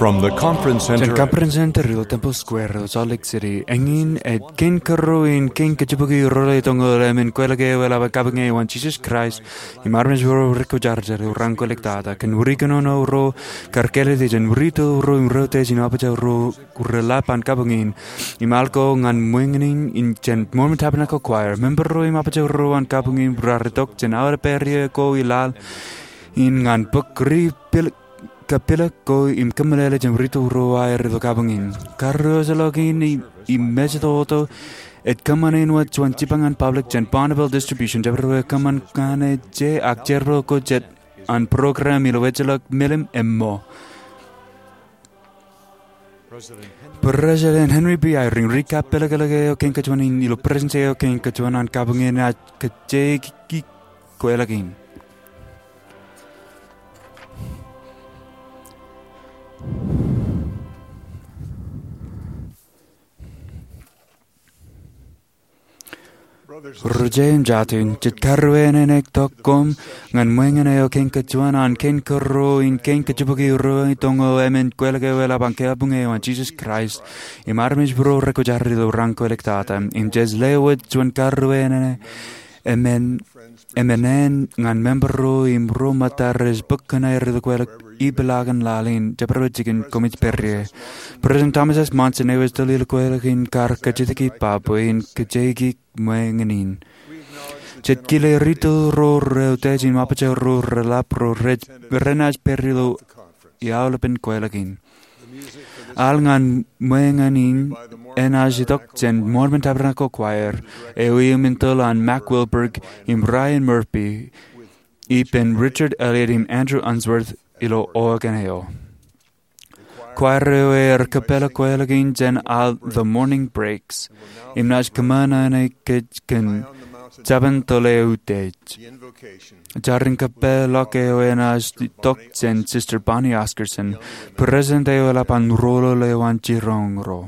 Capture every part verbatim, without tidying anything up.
From the Conference Center. Jān Conference Center ilo Temple Square ilo Salt Lake City, eñin ej kein kōrro in kein kōjjipukwi ro rej itok ñan emān kweilọk eo eḷap an kabuñ eo an Jesus Christ im armej ro rekwōjarjar ilo raan kweiliktata. Kōn wūri kōnono ro kar kāālōt jān wūri tōl ro im ro teej in apōjak ro reḷap an kabuñ in. Im al ko ñan ṃōñā in jān Mormon Tabernacle Choir, member ro im apōjak ro an kabuñ in raar itok jān aolep area ko ilaḷ in ñan bōk ri pil- kapilōk ko im kōmeḷeḷe jān wūri tōl ro aer ilo kabuñ in. Karreojeḷọk in im mejatoto ej kōṃṃan āinwōt juon jipañ an public jān Bonneville Distribution, jabdewōt kōṃṃan ñan ejja ak jerbal ko jet an program ilo ejjeḷọk milim emmo. President Henry B. Eyring, ri kapilōklōk eo kein kōjuon in ilo Presidency eo kein kōjuon an kabuñ in, enaaj kajjioñ kweilọk in. Ri-jeje im jatū in, jej karreoen ektok koṃ ñan ṃōñā eo kein kōjuon an kein kōrro in kein kōjjipukwi ro rej itok ñan emān kweilọk eo eḷap an kabuñ eo an Jesus Christ im armej ro rekwōjarjar ilo raan kweiliktata. Im jej lewōj juon karreoen emān, emān ñan member ro im ro ṃōttad rej bōk kōn aer ilo kweilọk ippaḷaak in laḷ in jabdewōt jikin koṃij pād ie. President Thomas S. Monson eo ej tōl ilo kweilọk in kar kajjitōk ippa bwe in kajjioñ ṃōñā in. Jej kile ri tōl ro ro teej im apōjak ro reḷap ro rej, renaaj pād ilo aolepān kweilọk in. Al ñan ṃōñā in enaaj itok jān Mormon Tabernacle Choir, eo iuṃwin tōl an Mack Wilberg im Ryan Murphy, ippān Richard Elliott im Andrew Unsworth ilo organ eo. Choir eo ear kōpeḷḷọk kweilọk in jān al The Morning Breaks, im naaj kōṃṃan ṇe kōj kōn Jabōn Tōl Eutiej. Jar in kōpeḷḷọk eo enaaj itok jān Sister Bonnie Oscarson, President eo eḷap an Roñoul eo an Jiroñ ro.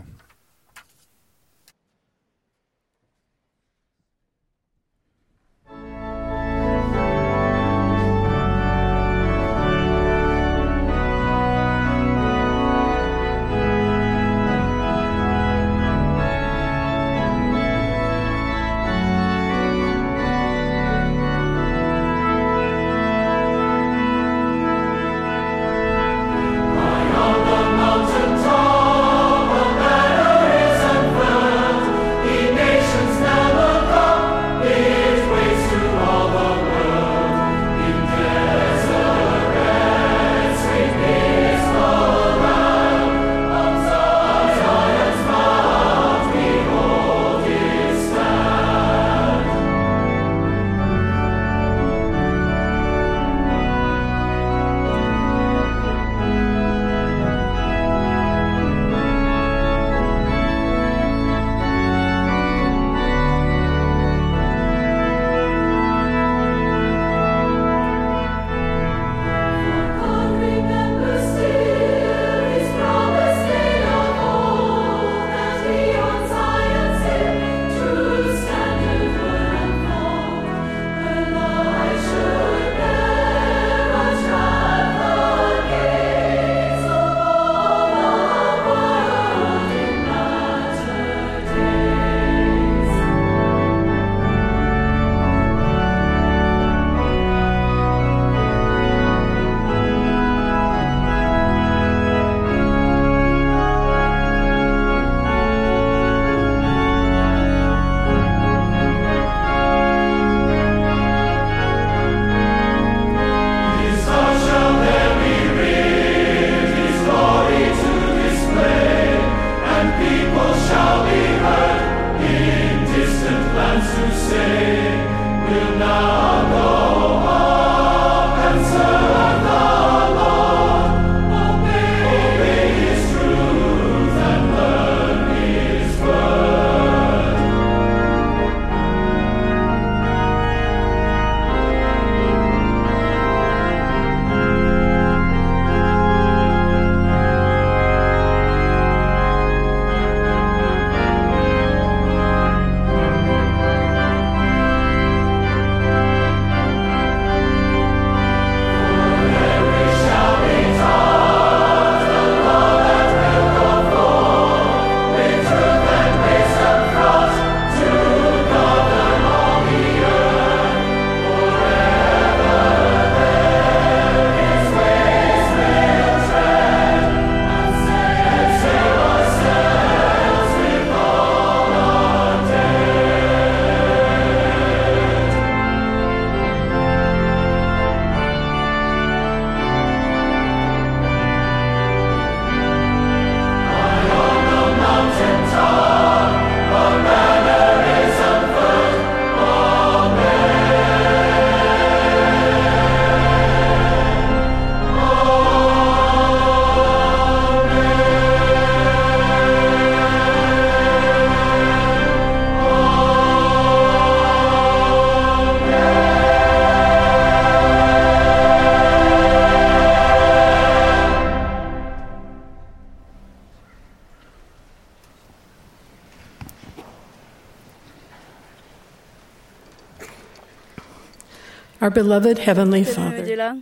Our beloved Heavenly Father,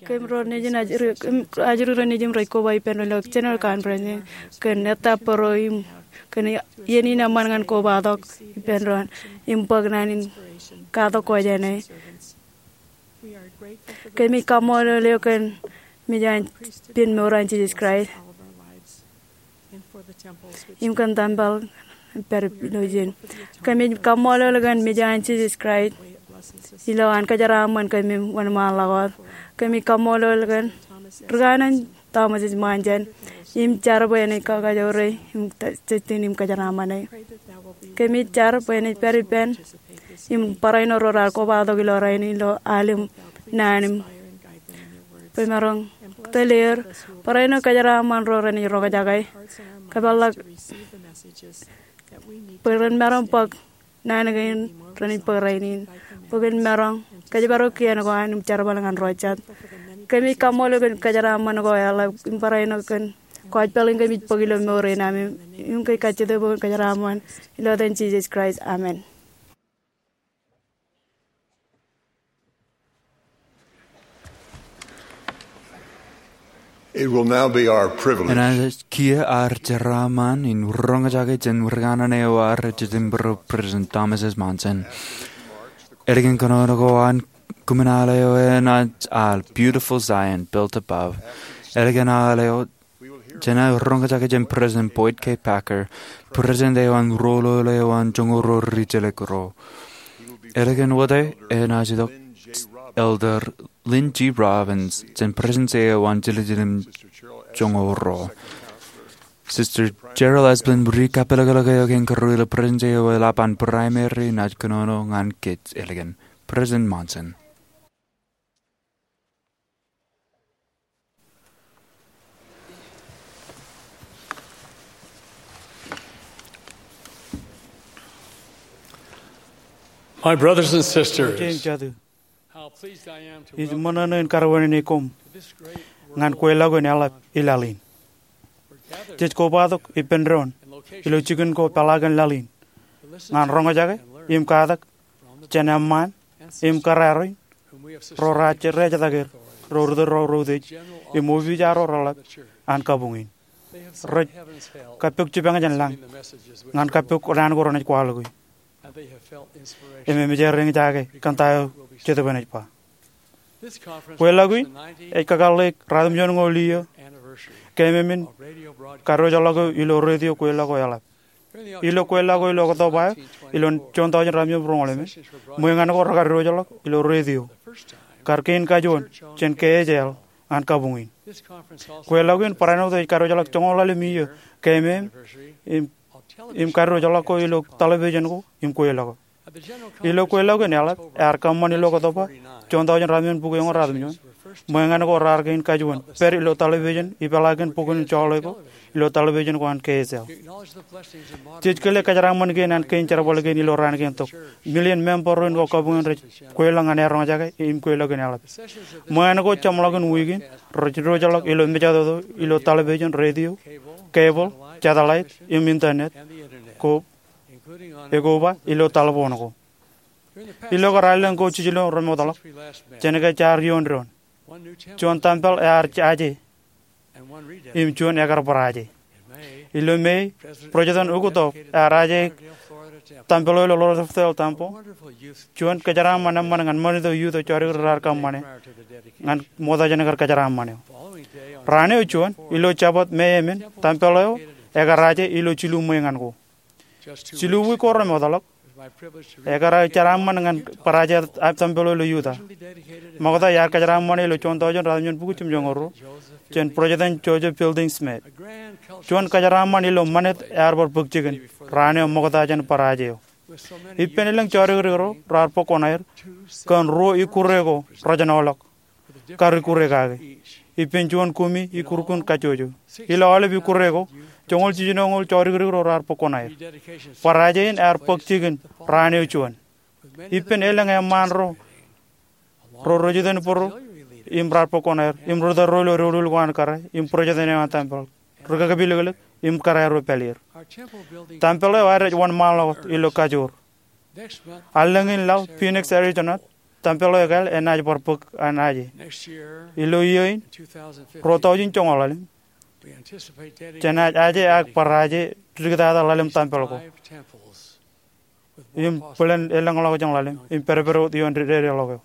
kōm ro nejin ajri, kōm ajri ro nejin rej koba ippān doon ilo General Conference in, kōn ettā bōro im kōn iien in eṃṃan ñan kobatok ippān doon im bōk naan in katak ko jāne. Kōmij kaṃṃoolol eok kōn mejān pen mour an Jisōs Kraist im kōn tempel pād ilo ijin. Kōmij kaṃṃoolol kōn mejān Jisōs Kraist ilo an kōjeraaṃṃan kōm im wōnṃaanḷọk wōt. Kōmij kaṃṃoolol kōn ri kanaan Thomas S. Monson im jar bwe enaaj kakajoore im ta-, Justin im kōjeraaṃṃane. Kōmij jar bwe enaaj pād ippān im barāinwōt ro raar kobatok ilo rainin ilo aolep naan im bwe maroñ tōl er barāinwōt kōjeraaṃṃan ro renaaj roñjake. Kōpeḷḷọk bwe ren maroñ bōk naan kein renaaj bōk rainin, bwe ren maroñ kōjparok kien ko an im jerbal ñan ro jet. Kōmij kaṃṃoolol kōn kōjeraaṃṃan ko eḷap im barāinwōt kōn gospel in kōmij bōk ilo mour in am im, im kōj kajjitōk bwe kōn kōjeraaṃṃan ilo etan Jisōs Kraist. Amen. It will now be our privilege. Enaaj kiiō ad jeraaṃṃan in roñjake jān ri kanaan eo ad rej jitōnbōro President Thomas S. Monson. Ālikin kōnono ko an kōṃṃan aḷ eo enaaj al Beautiful Zion Built Above. Ālikin aḷ eo Jenaaj roñjake jān President Boyd K. Packer, President eo an Ruo Loeloe eo an Joñoul Ruo Ri-Jelek Ruo. Ālikin wōt e, enaaj itok Elder Lynn G. Robbins jān Presidency eo an Jiljilimjuon Joñoul Ruo. Sister Cheryl Esplin ri kappelōklōk eo kein kōrā ilo Presidency eo eḷap an Primary enaaj kōnono ñan kōj ālikin. President Monson. My brothers and sisters, ij ṃōṇōṇō in karuwaineneik koṃ ñan kweilọk in eḷap ilaḷ in. Jej kobatok ippān doon ilo jikin ko peḷaakin laḷ in ñan roñjake im katak jān eṃṃaan im kōrā ro ro raar jeraak er, ro ri tōl ro rej utiej, im opiij ro reḷap an kabuñ in. Rej kappook jipañ jān lañ ñan kappook naan ko renaaj kwaḷọk e. Im eṃōj er eñjake kōn ta eo Jetōb enaaj ba. Kweilọk in ej kakōḷḷe ratimjuon ñoul iiō keememān kadiwōjḷọk eo ilo radio kweilọk ko eḷap. Ilo kweilọk ko ilo Oktoba eo ilo juon taujin ratimjuon bōro ñoul emān, ṃwe ñan ko rekadiwōjḷọk ilo radio kar kein kajuon jān K H L an kabuñ in. Kweilọk in barāinwōt ej kadiwōjḷọk joñoul ḷalem iiō keememān im, im kadiwōjḷọk ko ilo television ko im kweilọk ko. Ilo kweilọk in eḷap ear kōṃṃan ilo Oktoba juon taujin ratimjuon bukwi eoon ratimjuon, ṃwe ñan ko raar kein kajuon pād ilo television ipeḷaakin bukwōn in joḷọk ko ilo television ko an K H L. Jej kile kōjeraaṃṃan kein an kein jerbal kein ilo raan kein tok. Million member ro in ko kabuñ in rej kweilọk ñan aer roñjake im kweilọk in eḷap. Ṃwe ñan ko jeṃḷọkin wiik in rej diwōjḷọk ilo mejatoto ilo television, radio, cable, satellite, im internet ko, ekoba ilo talboon ko. Ilo kōrā elōñ ko jiljino remootḷọk jān ke jaar iioon doon, juon tempel ear aje im juon ekar bar aje. Ilo Mei, President Uchtdorf ear aje tempel eo ilo Lauderdale Temple. Juon kōjeraaṃṃan eṃṃan ñan ṃanit eo youth eo jọdik ri raar kōṃṃane ñan ṃokta jān kar kōjeraaṃṃan eo. Raan eo juon, ilo Jabōt Mei emān, tempel eo ekar aje ilo jilu ṃwe ñan ko. Jilu wiik ko remootḷọk, ekar aō jeraaṃṃan ñan bar aje tempel eo ilo Utah. Ṃokta iar kōjeraaṃṃane ilo juon taujin ratimjuon bukwi jimjuonñoul ruo jān President Joseph Fielding Smith. Juon kōjeraaṃṃan ilo ṃanit ear bar bōk jikin raan eo ṃokta jān bar aje eo. Ippān elōñ jọdik dik ro raar bōk kuṇaer kōn ruo ikkure ko rejenoḷọk kar ikkure kake. Ippān juon kumi ikkurkun kajjojo. Ilo aolep ikkure ko, joñoul jiljinoñoul jọdik dik ro raar bōk kuṇaer. Bar aje in ear bōk jikin raan eo juon. Ippān elōñ eṃṃaan ro, ro rej jitōnbōro im raar bōk kuṇaer, im ri tōl ro ilo doulul ko an kōrā, im president eo an tempel, ri kakpilōklōk im kōrā ro pāleer. Tempel eo ad ej wōnṃaanḷọk wōt ilo kajoor. Allōñ in laḷ, Phoenix, Arizona, Tempel eo ekāāl enaaj bar bōk an aje. Ilo iiō in, ruo taujin joñoul ḷalem, jenaaj aje ak bar aje diktata ḷalem tempel ko im bōlen elōñḷọkjeṇ ḷalem im pedped wōt ioon dedeḷọk eo.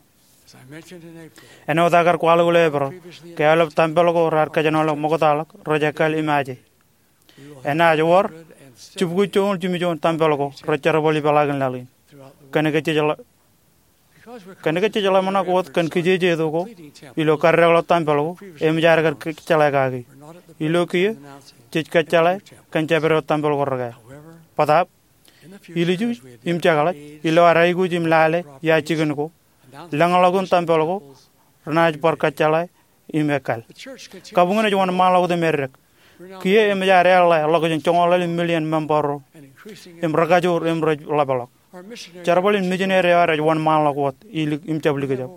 Āinwōt aō kar kwaḷọk ilo Eprel, ke aolep tempel ko raar kōjenolọk ṃoktaḷọk rej ekkāāl im aje. Enaaj wōr jibukwi joñoul jimjuon tempel ko rej jerbal ipeḷaakin laḷ in. Kōnke jej ḷe- kōnke jej ḷōmṇak wōt kōn kijejeto ko ilo kaddekḷọk tempel ko, eṃōj ad kar kōjjeḷā kaki. Ilo kiiō, jej kōjjeḷā kōn jabdewōt tempel ko rekāāl. Bōtaab, ilju im jekḷaj, ilo ad aikuj im lale ia jikin ko, lōñḷọkin tempel ko renaaj bar kōjjeḷā im ekkāāl. Kabuñ in ej wōnṃaanḷọk wōt im eddek. Kiiō eṃōj ad eḷḷā ḷọkjeṇ joñoul ḷalem million member ro im rekajoor im rej ḷapḷọk. Jerbal in mijineri eo ad ej wōnṃaanḷọk wōt ilik im jab likjab.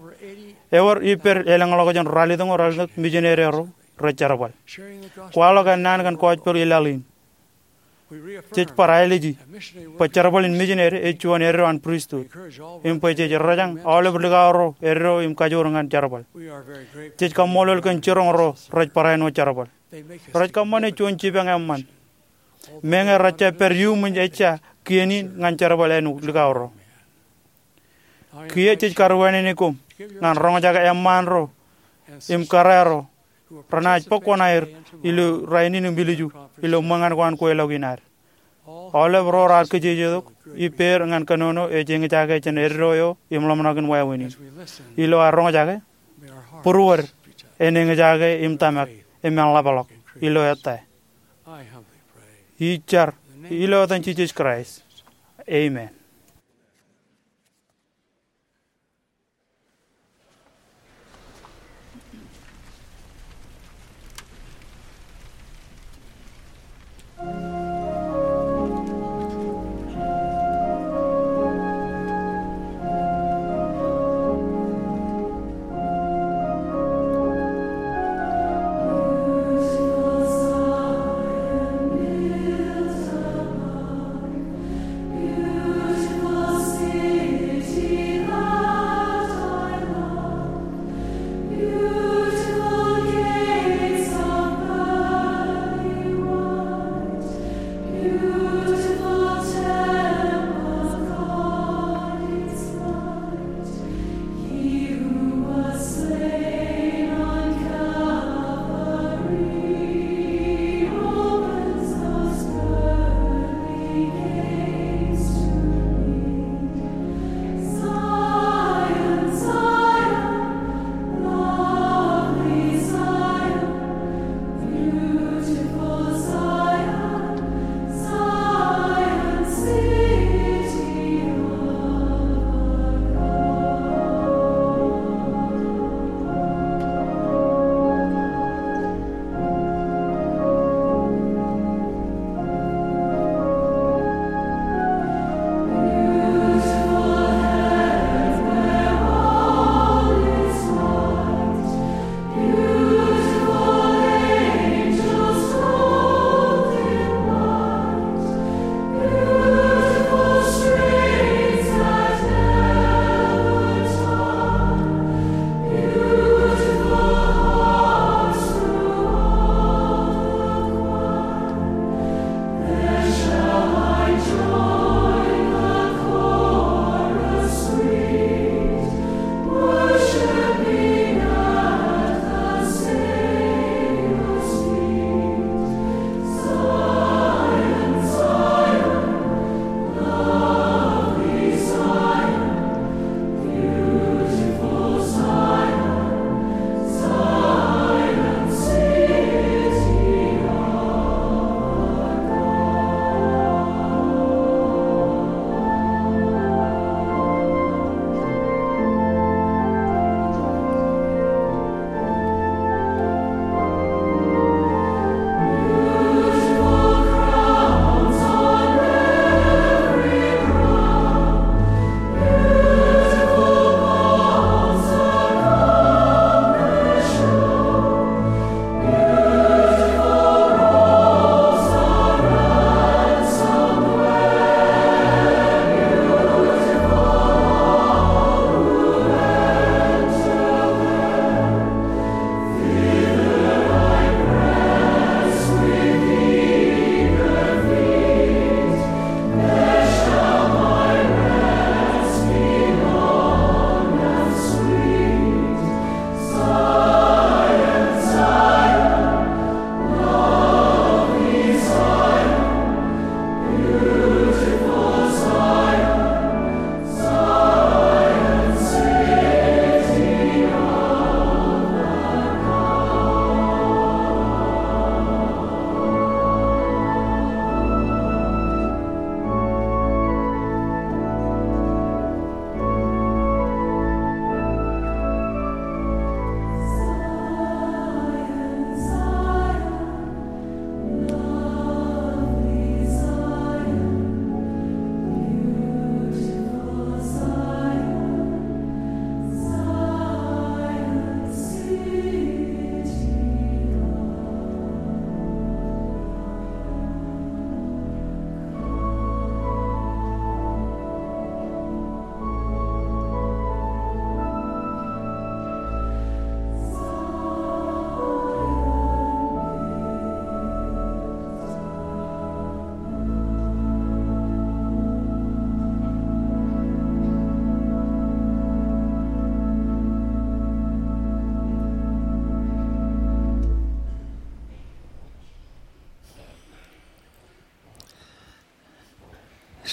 Ewōr ippād elōñḷọkjeṇ ralitōñoul ralitōk mijineri ro rej jerbal, kwaḷọk ennaan kōn gospel ilaḷ in. Jej bar āliji bwe jerbal in mijineri ej juon eddo an pristut, im bwe jej rōjañ aolep likao ro eddo im kajoor ñan jerbal. Jej kaṃṃoolol kōn jiroñ ro rej barāinwōt jerbal. Rej kōṃṃane juon jipañ eṃṃan, meñe rej jab pād iuṃwin ejja kien in ñan jerbal āinwōt likao ro. Kiiō jej karuwainene koṃ ñan roñjake eṃṃaan ro im kōrā ro renaaj bōk kuṇaer ilo rainin im ilju ilo ṃōñā ko an kweilọk in ad. Aolep ro raar kijejetok ippāer ñan kōnono ej eñjake jān eddo eo im ḷōmṇak in wāween in. Ilo ad roñjake, būruod en eñjake im tōmak im ḷapḷọk ilo ettā. Ij jar ilo etan Jisōs Kraist. Amen.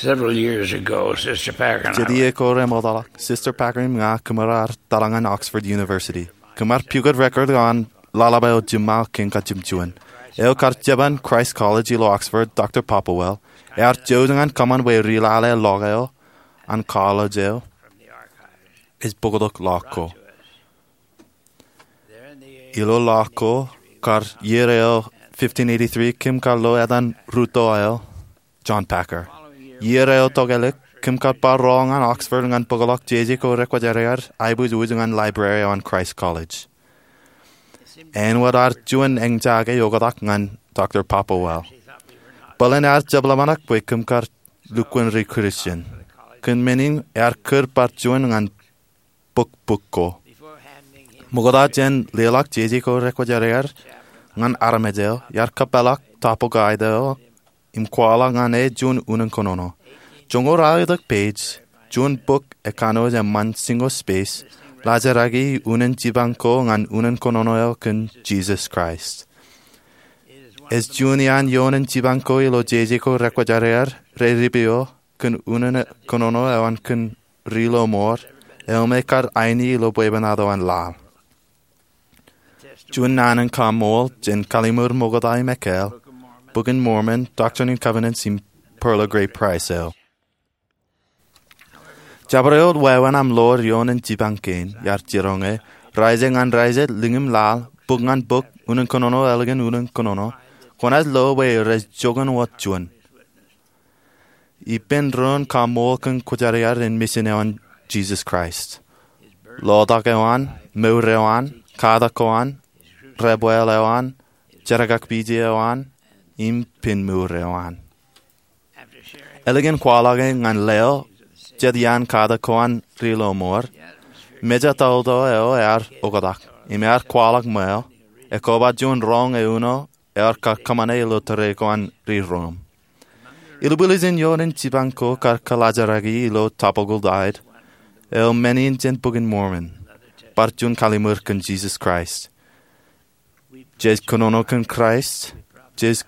Several years ago, Sister Packer and I Jet iiō ko remootḷọk, Sister Packer im ña kōṃro ar taḷa ñan Oxford University. Kōṃro ar pukot record eo an ḷōḷḷap eo jiṃṃaō kiiñ kajjimjuon. Eo kar jeban Christ College ilo Oxford, Doctor Poppelwell, ear jouj ñan kōṃṃan bwe ri lale ḷọk eo an college eo ej bōktok ḷọk ko. Ilo ḷọk ko, kar iiō eo fifteen eighty-three, kōm kar lo etan ruo eo, John Packer. Iiō eo tokālik, kōm kar bar rool ñan Oxford ñan bōkḷọk jeje ko rekwōjarjar aiboojoj ñan library eo an Christ College. Āinwōt ad juon eñjake oktak ñan Doctor Poppelwell. Bōlen ear jab ḷōmṇak bwe kōm kar lukkuun ri Christian. Kōn men in ear kūr bar juon ñan bōk bok ko. Ṃokta jān leḷọk jeje ko rekwōjarjar ñan armej eo, iar kōpeḷḷọk topic eo im kwaḷọk ñan e juon unin kōnono. Joñoul ralitōk page, juon bok ekkanooj eṃṃan single space, laajraki unin jipañ ko ñan unin kōnono eo kōn Jesus Christ. Ej juon iaan ioon jipañ ko ilo jeje ko rekwōjarjar rej ripio kōn unin kōnono eo an kōn ri lọmọọr eo me kar aini ilo bwebwenato an laḷ. Juon naan in kaṃṃool jān kalliṃur ṃokta im ekāāl, Bok in Mormon, Doctrine and Covenants im Pearl of Great Price eo. Jabdewōt wāween aṃ ḷoor ioon jipañ kein, iar jiroñ e, raijek ñan raijek, liñi im laḷ, bok ñan bok, unin kōnono ālikin unin kōnono, kwōnaaj lo bwe rej joñan wōt juon. Ippān doon kaṃṃool kōn kwōjarjar in mission eo an Jesus Christ. Lotak eo an, mour eo an, katak ko an, debwāāl eo an, jerkakpije eo an, im pinmour eo an. Ālikin kwaḷọk e ñan leo jet iaan katak ko an ri lọmọọr, mejatoto eo ear oktak, im ear kwaḷọk ṃweo, ekoba juon roñ euno ear kar kōṃṃane ilo tōre ko an ri Rom. Ilubwiljin ioon jipañ ko kar kōḷaajraki ilo topical diet eo men in jān Bok in Mormon, bar juon kalliṃur kōn Jesus Christ. Jej kōnono kōn Christ, jej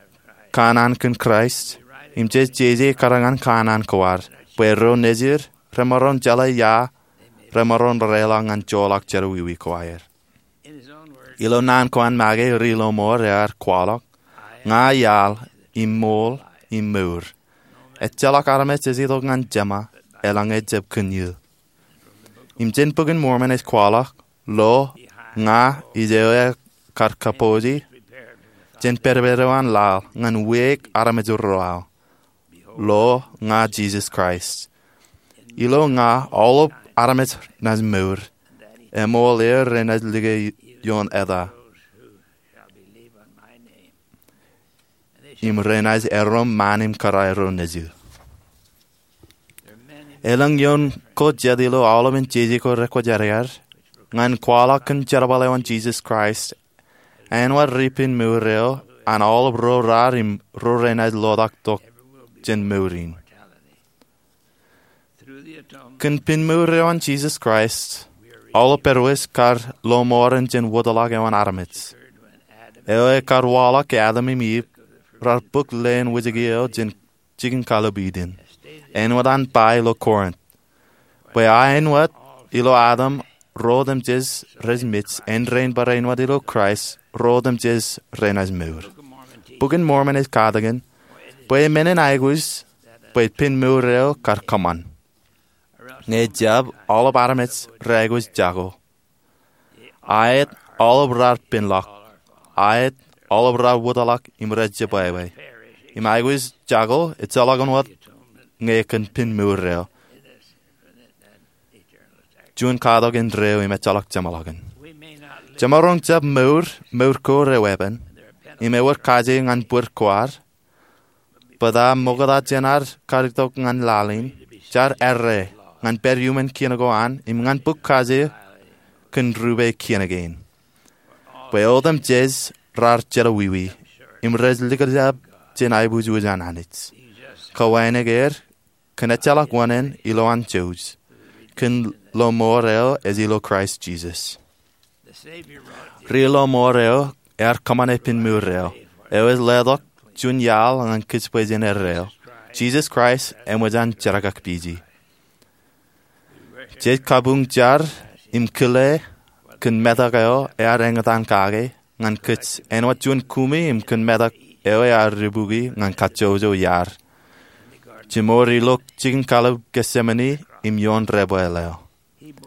kanaan kōn Christ, im jej jeje kōrā ñan kanaan ko ad, bwe ro nejid remaroñ jeḷā ia remaroñ reḷọk ñan joḷọk jerọwiwi ko aer. Ilo naan ko an make ri lọmọọr ear kwaḷọk, Ña iaḷ, im ṃool, im mour. Ejjeḷọk armej ej itok ñan Jema, eḷaññe ejjab kōn eō. Im jān Bok in Mormon ej kwaḷọk, Lo, ña ij eo ekar kapooj jān pedped eo an laḷ ñan wiaik armej ro aō. Lo, ña Jesus Christ. Ilo ña aolep armej naaj mour, eṃool er renaaj like ioon eta, im renaaj erom ṃaan im kōrā ro nejū. Elōñ ioon ko jet ilo aolepen jeje ko rekwōjarjar ñan kwaḷọk kōn jerbal eo an Jesus Christ, āinwōt ri pinmour eo an aolep ro raar im ro renaaj lotak tok jān mour in. Kōn pinmour eo an Jesus Christ, aolep pād wōj kar lọmọọren jān wōtlọk eo an armej, eo ekar waḷọk ke Adam im Iv rar bōk leen wōjke eo jān jikin kallib Iden, āinwōt an ba ilo Korint, bwe a āinwōt ilo Adam ro otemjej rej mej, āindein barāinwōt ilo Christ ro otemjej renaaj mour. Bok in Mormon ej katakin bwe men in aikuj bwe pinmour eo kar kōṃṃan. Ñe ejjab, aolep armej reaikuj jako. Aet, aolep raar penlọk. Aet, aolep raar wōtlọk im rej jebwābwe. Im aikuj jako ejjeḷọk wōt ñe kōn pinmour eo. Juon katok indeeo im ejjeḷọk jeṃḷọkin. Jemaroñ jab mour, mour ko reweeppān, im ewōr kaje ñan bōd ko ad, bōtab ṃokta jān ad kar itok ñan laḷ in, jaar errā ñan pād iuṃwin kien ko an im ñan bōk kaje kōn rupe kien kein. Bwe otemjej raar jelọwiwi im rej likjab jān aiboojoj an Anij. Kawānōk er kōn ejjeḷọk wōṇāān ilowaan jouj, kōn lọmọọr eo ej ilo Christ Jesus. Ri lọmọọr eo ear kōṃṃane pinmour eo, eo ej letok juon iaḷ ñan kōjparok jān erreo. Jisōs Kraist eṃōj an jerkakpeje. Jej kabuñ jar im kile kōn metak eo ear eñtaan kake ñan kōj āinwōt juon kumi im kōn metak eo ear dibuki ñan kajjojo iaad. Jimor ilo jikin kallib Getsemani im ioon debwāāl eo,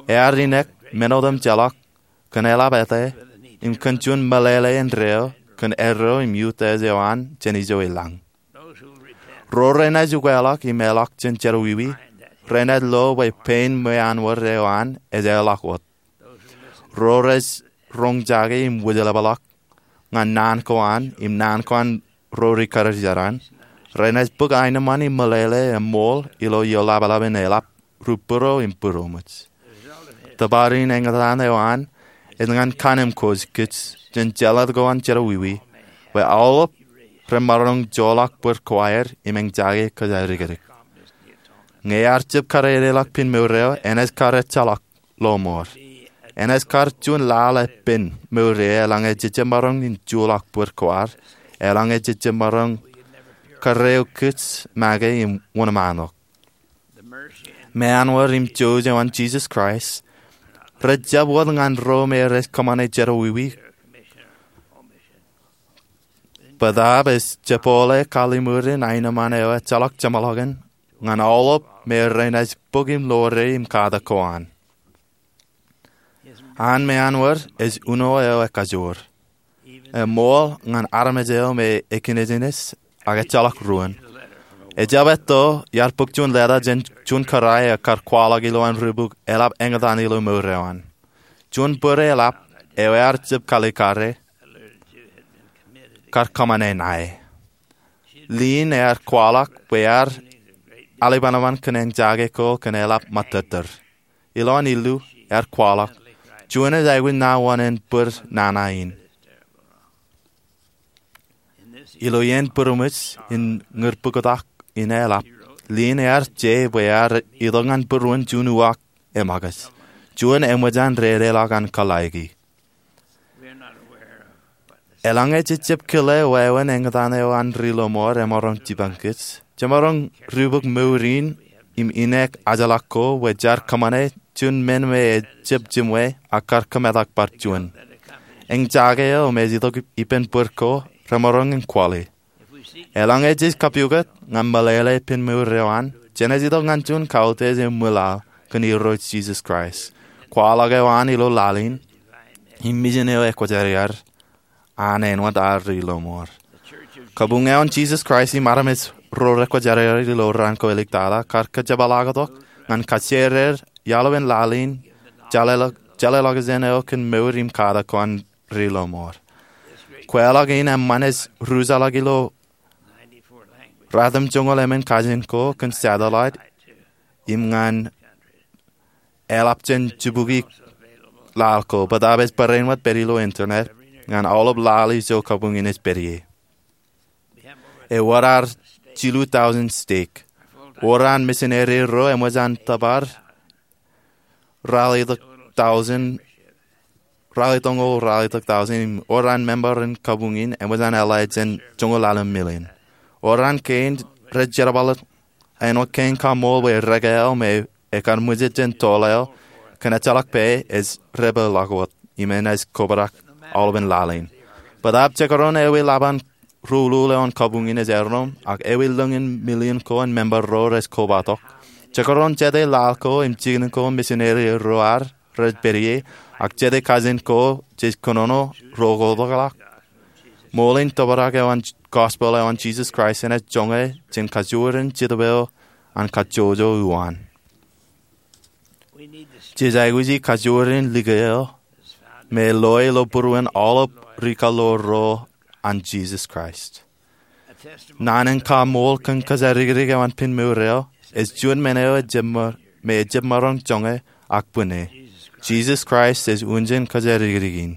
ear inek men otemjeḷọk kōn eḷap ete im kōn juon meḷeḷe indeeo kōn eddo im utiej eo an jān ijo i lañ. Ro renaaj ukeḷọk im eḷọk jān jerọwiwi renaaj lo bwe pein ṃweanwōd eo an ej eḷọk wōt. Ro rej roñjake im wōjlepḷọk ñan naan ko an im naan ko an ro rikarijer an renaaj bōk aenōṃṃan im meḷeḷe im ṃool ilo ioḷapḷap in eḷap ri būro im būroṃōj. Tōpar in eñtaan eo an ej ñan kannemkwōj kōj jān jeḷā ko an jerọwiwi bwe aolep remaroñ joḷọk bōd ko aer im eñjake kōjatdikdik. Ñe ear jab kadedeḷọk piin mour eo, enaaj kar ejjeḷọk lọmọọr. Enaaj kar juon laḷ epen mour eo eḷaññe jejab maroñ in joḷọk bōd ko ad, eḷaññe jejab maroñ kōrreo kōj make im wōnṃaanḷọk. Ṃweanwōd im jouj eo an Jisōs Kraist rej jab wōt ñan ro me rej kōṃṃane jerọwiwi. Bōtaab ej jepooḷe kalliṃur in aenōṃṃan eo ejjeḷọk jeṃḷọkin ñan aolep me renaaj bōk im ḷoore im katak ko an. An ṃweanwōd ej uno eo ekajoor. Eṃool ñan armej eo me ekinejines ak ejjeḷọk ruōn. Ejab etto iar bōk juon leta jān juon kōrā eo ekar kwaḷọk ilowaan ribuk eḷap eñtaan ilo mour eo an. Juon bōd eḷap eo ear jab kalikare kar kōṃṃane ṇae. Liin ear kwaḷọk bwe ear alipanpan kōn eñjake ko kōn eḷap ṃōttōttōr. Ilowaan illu ear kwaḷọk, juon ej aikuj ṇa wōṇāān bōd nana in. Ilo iien būroṃōj in ñūr bōktak in eḷap, liin ear je bwe ear itok ñan būruon juon uwaak eṃōkaj, juon eṃōj an dedeḷọk an kōḷḷāiki. Eḷaññe jejab kile wāween eñtaan eo an ri lọmọọr emaroñ jipañ kōj, jemaroñ dibuk mour in im inek ajḷọk ko bwe jar kōṃṃane juon men me ejab jiṃwe ak kar kōmetak bar juon. Eñjake eo me ej itok ippān bōd ko remaroñ in kwaḷe. Eḷaññe jej kapukot ñan meḷeḷe piin mour eo an, jenaaj itok ñan juon kautiej im ṃwilaḷ kōn Irooj Jisōs Kraist, kwaḷọk eo an ilo laḷ in, im mijin eo ekwōjarjar an āinwōt ad ri lọmọọr. Kabuñ eo an Jisōs Kraist im armej ro rekwōjarjar ilo raan ko eliktata kar kōjepḷaaktok ñan kajjierāār iaḷ eo an laḷ in, jeḷāḷọkjeṇ eo kōn mour im katak ko an ri lọmọọr. Kweilọk in eṃṃan ej rujaḷọk ilo ratimjuonñoul emān kajin ko kōn satellite im ñan eḷap jān jibukwi laḷ ko, bōtaab ej barāinwōt pād ilo internet ñan aolep laḷ ijo kabuñ in ej pād ie. Ewōr ad jilu tọujin stek. Wōr an misineri ro eṃōj an tōpar ralitōk tọujin, ralitōñoul ralitōk tọujin, im wōr an member in kabuñ in eṃōj an eḷḷā jān joñoul ḷalem million. Wōr an kein rej jerbal āinwōt kein kaṃool bwe rekāāl me ekar ṃwijej jān toḷ eo kōn ejjeḷọk pā ej dāpḷọk wōt im enaaj kobrak aolepān laḷ in. Bōtaab jekdọọn ewi ḷap an ruulul eo an kabuñ in ej erom, ak ewi lōñ in million ko an member ro rej kobatok, jekdọọn jete laḷ ko im jikin ko misineri ro ad rej pād ie, ak jete kajin ko jej kōnono ro koḷapḷọk, ṃool in tōprak eo an gospel eo an Jisōs Kraist enaaj joñe jān kajoor in Jetōb eo an kajjojo uwaan. Jej aikuji kajoor in likao me loe ilo būruon aolep rikaḷoor ro an Jisōs Kraist. Naan in kaṃool kōn kōjatdikdik eo an piin mour eo ej juon men eo ejab ma-, me ejab maroñ joñe ak bwine. Jisōs Kraist ej unjān kōjatdikdik in.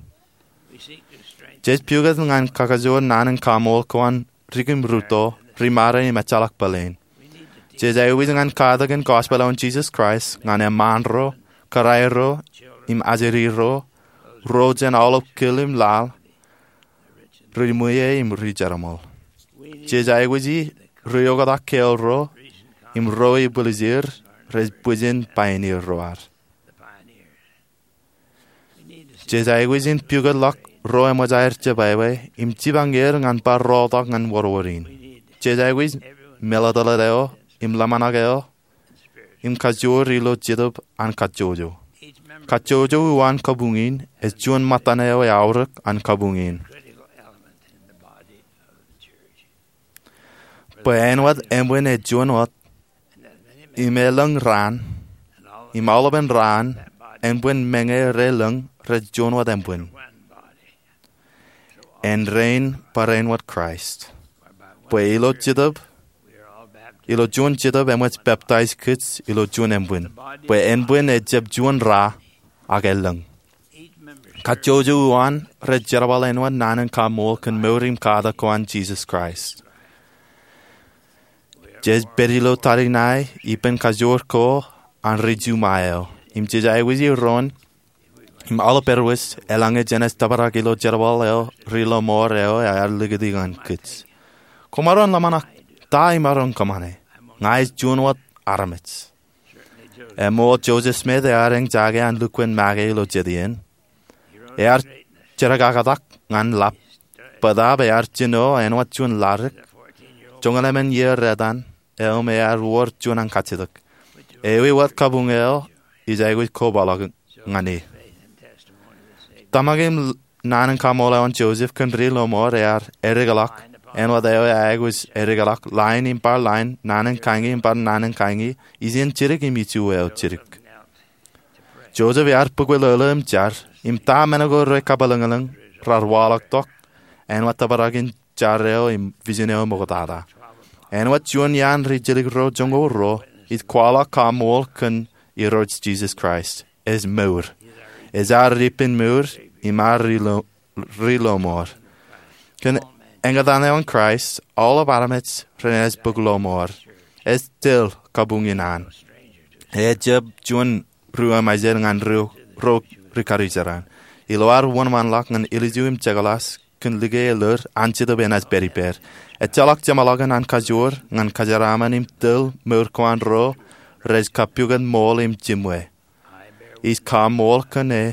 Jej pukot ñan kakajoor naan in kaṃool ko an ri-kūm rūtto, ri-made im ejjeḷọk bōlen. Jej aikuj ñan katakin gospel eo an Jisōs Kraist ñan eṃṃaan ro, kōrā ro, im ajri ro, ro jān aolep kil im laḷ, ri-ṃwiie im ri-jerbal. Jej aikuji ri-oktak keoul ro im ro ibwiljir rej bwijin pioneer ro ad. Jej aikuj in pukotḷọk ro eṃōj aer jebwābwe im jipañ er ñan bar rooltok ñan wōrwōr in. Jej aikuj meḷeḷe eo im ḷōmṇak eo im kajoor ilo Jetōb an kajjojo. Kajjojo uwaan kabuñ in ej juon ṃōttan eo eaorōk an kabuñ in. Bwe āinwōt ānbwin ej juon wōt, im elōñ raan, im aolepān raan ānbwin meñe relōñ rej juon wōt ānbwin, āindein barāinwōt Kraist. Bwe ilo Jetōb, ilo juon Jetōb eṃōj peptaij kōj ilo juon ānbwin, bwe ānbwin ejjab juon ra, ak elōñ. Kajjojo uwaan rej jerbal āinwōt naan in kaṃṃool kōn mour im katak ko an Jisōs Kraist. Jej pād ilo tariṇae ippān kajoor ko an ri-Ju ṃae eo, im jej aikuj iroon im aolep erwōj eḷaññe jenaaj tōprak ilo jerbal eo ri-lọmọọr eo ear likūti ñan kōj. Koṃaroñ ḷōmṇak, ta imaroñ kōṃṃane? Ña ij juon wōt armej. Eṃool Joseph Smith ear eñjake an lukkuun make ilo jet iien. Ear jerkaktak ñan ḷap, bōtaab ear jino āinwōt juon ladik, joñoul emān iiō etan, im ear wōr juon ankajjitōk. Ewi wōt kabuñ eo ij aikuj kobaḷọk ñan e. Tōmak im naan in kaṃṃoolol Joseph kōn ri-lọmọọr ear eddekḷọk, āinwōt eo eaikuj eddekḷọk lain im bar lain, naan in kañi im bar naan in kañi, ijin jidik im iju eo jidik. Joseph ear bōkwōlolo im jar, im ta men ko rekabwilōñlōñ raar waḷọk tok, āinwōt tōprak in jar eo im vision eo ṃoktata. Āinwōt juon iaan ri-jidik ro joñoul ruo, ij kwaḷọk kaṃṃool kōn Irooj Jisōs Kraist. Ej mour. Ej ad ippān mour, im ad ri-lo-, ri-lọmọọr. Kōn eñtaan eo an Kraist, aolep armej renaaj bōk lọmọọr. Ej tōl kabuñ in an. Ejjab juon ri-emājer ñan ro, ro ri-karijeran. Ilo ad wōnṃaanḷọk ñan ilju im jekḷas kōn like elōr, an Jetōb enaaj pād ippād. Ejjeḷọk jeṃḷọkin an kajoor ñan kajeraaṃṃan im tōl mour ko an ro rej kapukot ṃool im jiṃwe. Ij kaṃṃool kōn e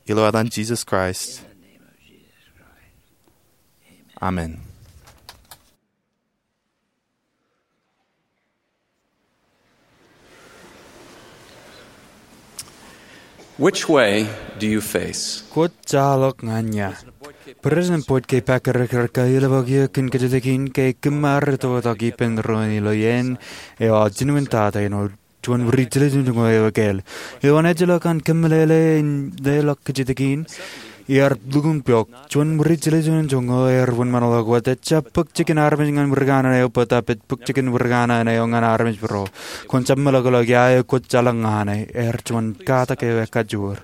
ilo etan Jisōs Kraist. Amen. Which way do you face? Kwōj jaḷọk ñan ia? President Boyd K. Packer ear kailọk eō kōn kōjatdikdik in ke kōm ar itoitak ippān doon ilo iien eo aō jinen tata āinwōt juon ri-jiljilimjuonñoul eo ekāāl. Ilo an ejjeḷọk an kōmeḷeḷe in leḷọk kōjatdikdik in, iar lukkuun pok. Juon ri-jiljilimjuonñoul ear wōnṃaanḷọk wōt, ejjab bōk jikin armej ñan ri kanaan eo bōtaab ej bōk jikin ri kanaan eo ñan armej būruō. Kwōn jab meḷọkḷọk ia eo kwōj jaḷọk ñan e, ear juon katak eo ekajoor.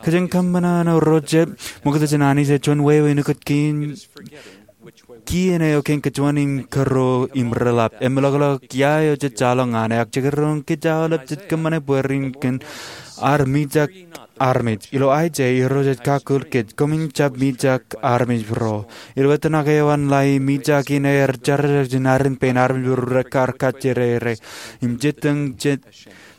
Kōjeañ kōṃṃan eo ro jet ṃokta jān Anij ej juon wāween ukōt kien, kien eo kein kōjuon im kōrro im reḷap. Emeḷọkḷọk ia eo jej jaḷọk ñan e, ak jekdọọn kōj aolep jej kōṃṃane bwe ren kōn ad mijak armej. Ilo Aiseia, Irooj ej kakkōl kōj, koṃin jab mijak armej būruō. Ilo etan eo an ḷae, mijak in ear jerajer jān aren pein armej būruō rekar kajjirere. Im jitōñ jet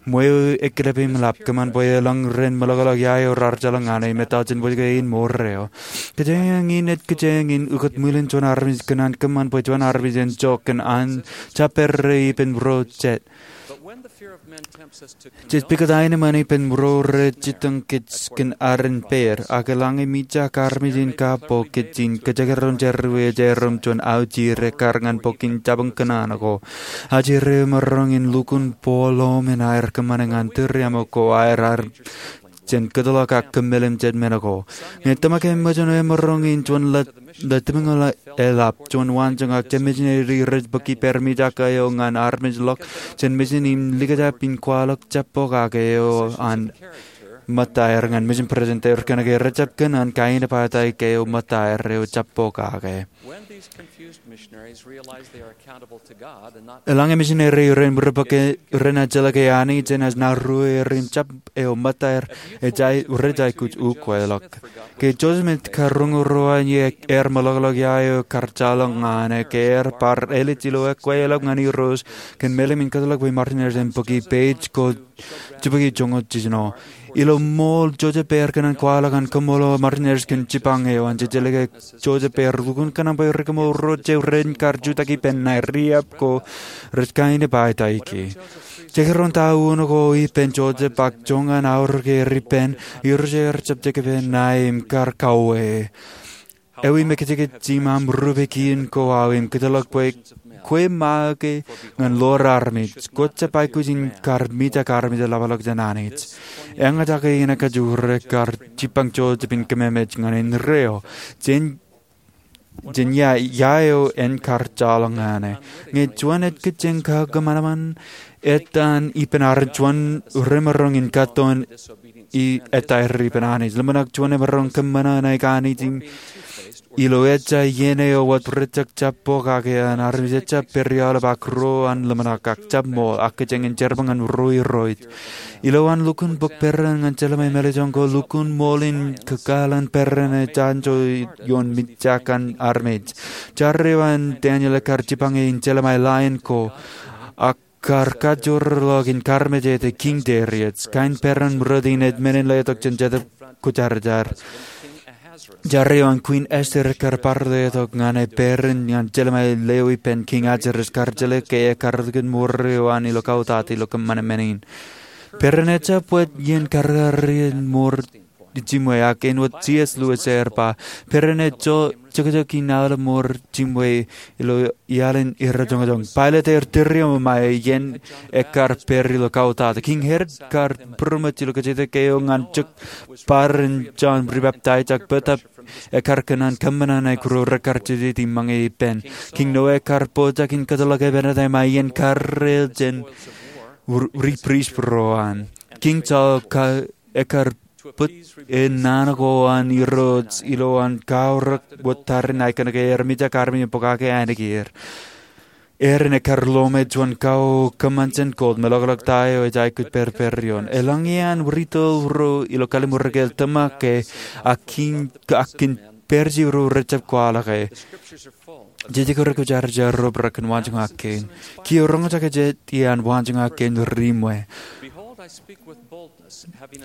ṃweo ekkilep im ḷap, kōṃṃan bwe elōñ ren meḷọkḷọk ia eo raar jaḷọk ñan e im etal jān bwilōñ kein mour eo. Kōjeañ in ej kōjeañ in ukōt ṃwilen juon armej kōn an kōṃṃan bwe juon armej en jok kōn an jab pād ro ippān būruō jet. Jej pukot aenōṃṃan ippān būruō rej jitōñ kōj kōn aren pād, ak eḷaññe mijak armej in kabbokwe kōj im kōjekdọọn jerọwiwi eo ej aerro im juon aujir ekkar ñan bok in jabōn kōṇaan ko. Aujir eo emaroñ in lukkuun bōk ḷoṃ in aer kōṃṃane ñan tūriaṃo ko aer ar jān kōtḷọk ak kōmālim jet men ko. Ñe tōmak eṃōj, emaroñ in juon ḷe, ḷe timiñoul eḷap, juon waanjoñak, jet misineri rej bōk ippāer mijak eo ñan armej ḷọk jān misin im likjab in kwaḷọk jab bok ak eo an ṃōttaer ñan mission president eo kōnke rejjab kōṇaan kaenōṃṃan eo ṃōttaer eo jab pokake. Eḷaññe misineri ren ri bōke renaaj jeḷā ke Anij enaaj naan ruo er im jab eo ṃōttaer, rej aikuj ukeḷọk. Ke Joseph Smith kar roñoul ruo an iiō, ear meḷọkḷọk ia eo kar jaḷọk ñan e ke ear bar elej ilo ekwe eḷap ñan Irooj kōn mālim in kōtḷọk bwe Martinez en bōki page ko jibukwi joñoul jiljino. Ilo ṃool Joseph ear kōṇaan kwaḷọk an kōṃṃool Martinez kōn jipañ eo an. Jejeḷā ke Joseph ear lukkuun kōṇaan bwe ri kōṃṃool ro jet ren kar jutak ippān ṇae riab ko rej kaenōṃṃan eo. Jekdọọn ta uno ko ippān Joseph ak joñan aorōk er ippān, Irooj ear jab jekpe ṇae im kar kauwe. Ewi mejākāt jiṃ aṃ rupe kien ko aō im kōtḷọk bwe kwe make ñan ḷoor armej. Kwō jab aikuj in kar mijak armej ḷapḷọk jān Anij. Eñjake in kajoor kar jipañ Joseph in kememej ñan indeeo jān ia eo en kar jaḷọk ñan e. Ñe juon ejkijjien kakōṃanṃan, etan ippān armej juon remaroñ in kōttoon etaer ippān Anij. Ḷōmṇak juon emaroñ kōṃṃan ṇe Anij im ilo ejja iien eo wōt rejjab pokake an armej ejjab pād ilo aolep ak ruo an ḷōmṇak ak jab ṃool ak kōjeañ in jerbal ñan ruo irooj. Ilowaan lukkuun bōk peran ñan Jeremaia Melchizedek ko lukkuun ṃool in kōkāāl an peran eo ej anjọ ioon mijak an armej. Jar eo an Daniel ekkar jipañ e in Jeremaia ḷain ko ak kar kajoorḷọk in karmejete Kiiñ Darius. Kain peran ṃōrot in ej men in letok jān Jetōb Kwōjarjar. Jar eo an Queen Esther ekkar bar letok ñan e peran ñan Jeremaia eo ippān Kiiñ Ahasuerus kar jeḷā ke ekkar lukkuun ṃool eo an ilo kautata ilo kōṃṃan men in. Peran ejjab wōt iien karreoraṃṃan ṃool jiṃwe ak āinwōt C S Lewis ear ba, peran ej jokjok in aolep ṃool jiṃwe ilo iaḷ in erreo joñojoñ. Pilate ear tūriaṃo ṃae iien ekkar pād ilo kautata. Kiiñ Herod kar būroṃōj ilo kajjitōk eo ñan jok bar in Jon Ribaptaij ak bōtab ekkar kōṇaan kōṃṃan ṇe kōj ro rekkar jejjet im ṃōñā ippān. Kiiñ Noa ekkar pojak in kōtḷọk epenete ṃae iien karreo jān ri priest ro an. Kiiñ Saul ekkar bōk e naan ko an Irooj ilowaan kaorōk wōt tarrin aō kōnke ear mijak armej im pokake ainikien. Aaron ekkar lọmọọr juon kao kōṃṃan jān gold, meḷọkḷọk ta eo ej aikuj pād pād ioon. Eḷaññe an rūtto ro ilo kallim̧ur eo ke tōmak ke ak kiiñ ak kōn Parisees ro rejjab kwaḷọk e. Jetōb Kwōjarjar ro rej kōn waanjoñak kein. Kiiō roñjake jet iaan waanjoñak kein ri ṃwe.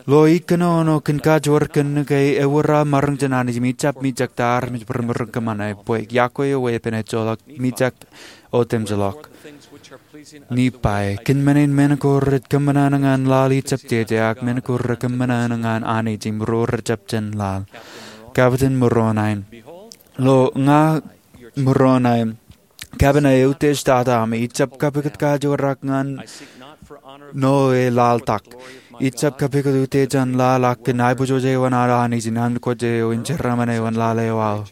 Lo ikōnono kōn kajoor kōn ñe ke ewōr aō maroñ jān Anij im ijjab mijak ta armej rej maroñ kōṃṃane bwe yokwe eo weeppān ejjeḷọk mijak otemjeḷọk. Nephi, kōn men in men ko rej kōṃṃan ṇe ñan laḷ ijjab jeje, ak men ko rej kōṃṃan ṇe ñan Anij im ro rejjab jān laḷ. Kapitan Moroni. Lo ña Moroni, kapin eo eutiej tata ami, ijjab kapikōt kajoor ak ñan ṇo e laḷtak. Ijjab kapikōt utiej an laḷ ak kōn aiboojoj eo an Anij in aṃ kwōj eo im jeraaṃṃan eo an laḷ eo aō.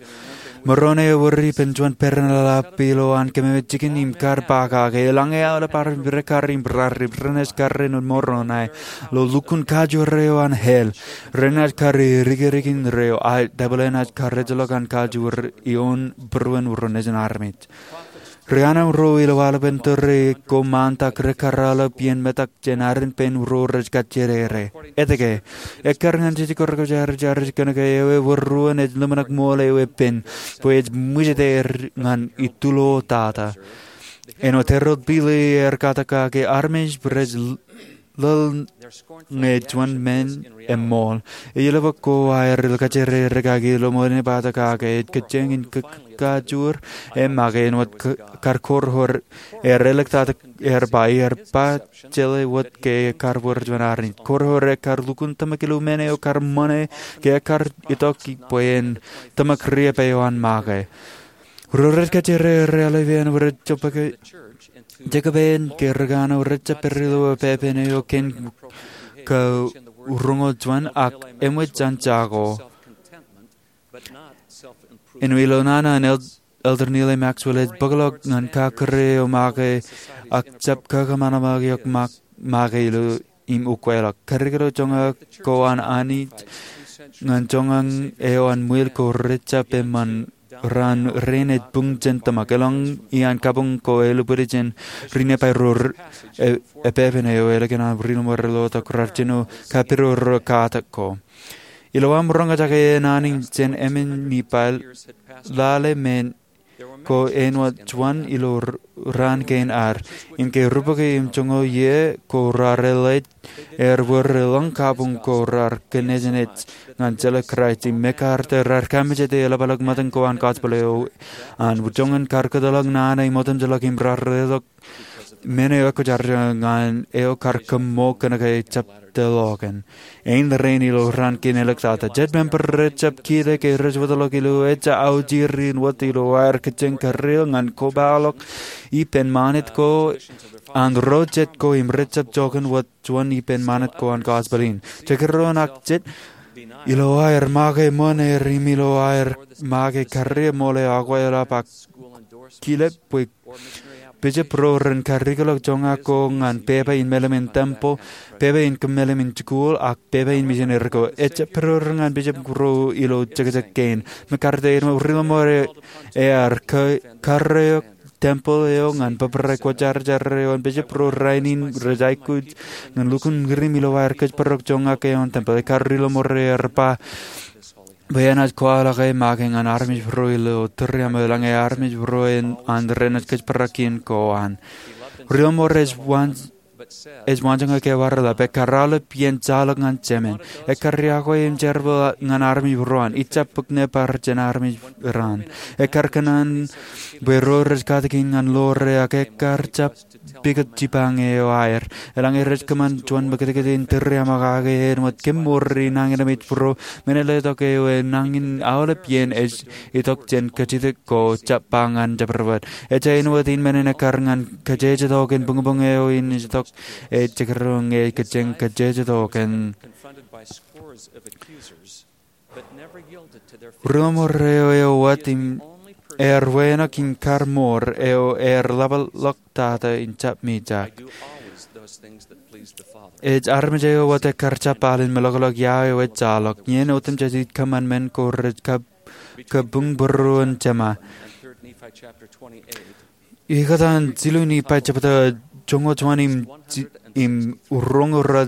Moroni ewōr ippān juon peran eḷap ilowaan kememej jikin im kar pokake. Eḷaññe aolep armej rej kar im raar im renaaj karreoṇ Moroni lo lukkuun kajoor eo an hell, renaaj kar dikdik indeeo, ak devil enaaj kar ejjeḷọk an kajoor ioon būruon ro nejin armej. Ri anemro ilo aolepen tōre ko ṃaantak rej kar aolep iien metak jān aren pein ro rej kajjitōk. Etke? Ekkar ñan Jetōb Kwōjarjar kōnke ewi ewōr ruo ej ḷōmṇak ṃool ewi pen bwe ej ṃwijit er ñan ituḷ tata. Āinwōt Harold B. Lee ear katak kake, armej rej ḷōḷñe juon men eṃṃool. Ej ḷapḷọk ko aer ilo kajjitōk kake ilo ṃool in ej ba kake ej kōjeañ in kōkkajoor e make āinwōt kar korihor er elōñ tata ear ba, ear ba jeḷā wōt ke kar bōk juon armej. Korihor ekkar lukkuun tōmak ilo men eo kar ṃōṇe ke ekkar itok bwe en tōmak riab eo an make. Ro rej kajjitōk rej aolep rej jokpaak Jakob en ke ri kanooj rejjab pād ilo pepen eo kein ko roñoul juon ak eṃōj an jako. Āinwōt ilo nana an Elder Neal A. Maxwell ej bōkḷọk ñan kakōrā eo make ak jab kakōṃanṃan eok make ilo im ukweḷọk. Karikōḷọk joñak ko an Anij ñan joñan eo an ṃwiil ko rejjab eṃṃan raan rein ej buñ jān tōmak. Eḷaññe iaan kabuñ ko elōñ bwidej jān ri-Nippai ro r-, e-, epepen eo ālikin aṃ ri-lọmọọr rej lotok raar jino kapidodo katak ko. Ilo aṃ roñjake e naan in jān emān Nippai, lale men ko āinwōt juon ilo r-, raan kein ad. Im ke rubukwi im joñoul iiō ko raar eḷḷāik er bwe reḷọñ kabuñ ko raar kōnejenej ñan jeḷā Kraist im mekarta raar kamijete eḷapḷọk ṃōttan ko an gospel eo an. Joñan kar kōtḷọk naan eo im otemjeḷọk im raar letok men eo ekwōjarjar ñan eo kar kōṃṃool kōnke ejjab tōlọkin. Ein rein ilo raan kein āliktata. Jet member rejjab kile ke rej wōtlọk ilo ejja aujir in wōt ilo aer kōjeañ karreel ñan kobaḷọk ippān ṃanit ko an ro jet ko im rejjab joñan wōt juon ippān ṃanit ko an gospel in. Jekdọọn ak jet ilo aer make ṃōn er im ilo aer make karreo ṃool eo akweḷap ak kilep bwe bishop ro ren karikōḷọk joñak ko ñan pepa in mālim in tempel, pepa in kōmālim in jikuuḷ, ak pepa in misineri ko. Ejjab pedorder ñan bishop ro ilo jekjek kein. Mekarta eo ri-lọmọọr eo ear ka-, karreo tempel eo ñan bōbrae kwōjarjar eo an bishop ro rainin rej aikuj ñan lukkuun ṃwirim ilo aer kōjparok joñak eo an tempel. Ekkar ri-lọmọọr eo ear ba bwe enaaj kwaḷọk e make ñan armej bōro ilo tūriaṃo eḷaññe armej bōro an renaaj kōjparok kien ko an. Ri-lọmọọr ej waan ej waanjoñak eo ear eḷap. Ekkar aolep iien jaḷọk ñan Jemān. Ekkar iakwe im jerbal ñan armej bōro an. Ijjab bōk nōbar jān armej raan. Ekkar kōṇaan bwe ro rej katakin ñan ḷoore ak ekkar jab pukot jipañ eo aer. Eḷaññe rej kōṃṃan juon ṃōkajkōj in tūriaṃo kake āinwōt kōṃṃool ri nañinmej bōro, men eo letok eo enañin aolep iien ej itok jān kajjitōk ko jab ba ñan jabdewōt. Ejja āinwōt in men in ekkar ñan kajejetok in buñbuñ eo in ej itok e jekdọọn ñe kōjeañ kajejetok in. Ri-lọmọọr eo eo wōt im ear wānōk im kar mour eo ear ḷapḷọk tata in jab mijak. Ej armej eo wōt ekkar jab al in meḷọkḷọk ia eo ej jaḷọk. Iien otemjej ij kōṃṃan men ko rej kab kabuñ būruon Jema. Ikōtaan jilu Nippai jebta joñoul juon im ji-, im roñoul ruo,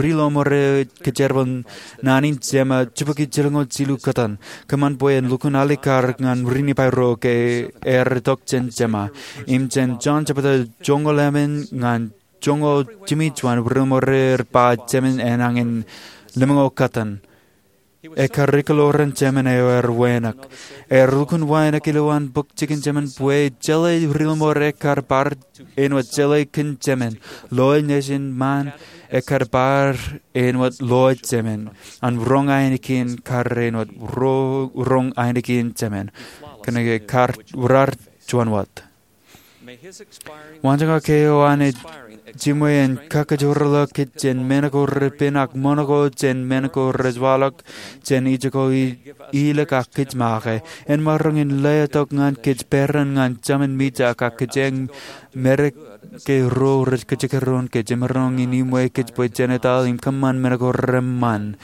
ri-lọmọọr eo ej kōjerbal naan in Jema jibukwi jilñoul jilu kōtaan. Kōṃṃan bwe en lukkuun alikkar ñan ri-Nippai ro ke ear itok jān Jema. Im jān Jon jebta joñoul emān ñan joñoul jimjuon, ri-lọmọọr eo ear ba Jemān enañin lemñoul kōtaan. Ekkar ikōḷoran Jemān eo ear wānōk. Ear lukkuun wānōk ilowaan bōk jikin Jemān bwe jeḷā ri-lọmọọr ekkar bar āinwōt jeḷā kōn Jemān. Loe nejin ṃaan ekkar bar āinwōt loe Jemān. An roñ ainikien kar āinwōt ro-, roñ ainikien Jemān. Kōnke kar, raar juon wōt. Waanjoñak eo an ej jiṃwe en kakōjparok kōj jān men ko repen ak ṃōṇōṇō jān men ko rej waḷọk jān ijoko i-, ilikin kōj make. En maroñ in letok ñan kōj peran ñan Jemān mijak ak kōjeañ medik ke ro rej kajekdọọn kōj. Emaroñ in iṃwe kōj bwe Jentail im kōṃṃan men ko reṃṃan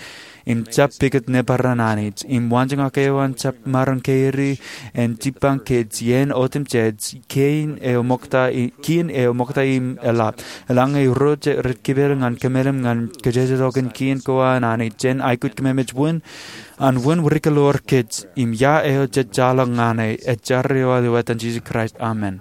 im jab pukot nōbar an Anij. Im waanjoñak eo an jab maroñ kōjro en jipañ kōj iien otemjej, kien eo ṃokta i-, kien eo ṃokta im eḷap. Eḷaññe ro rej kipel ñan kōmālim ñan kajejetok in kien ko an Anij, jen aikuj kōmemej wūn, an wūn ri-kōḷoor kōj, im ia eo jej jaḷọk ñan e, ej jar eo aolep ilo etan Jisōs Kraist. Amen.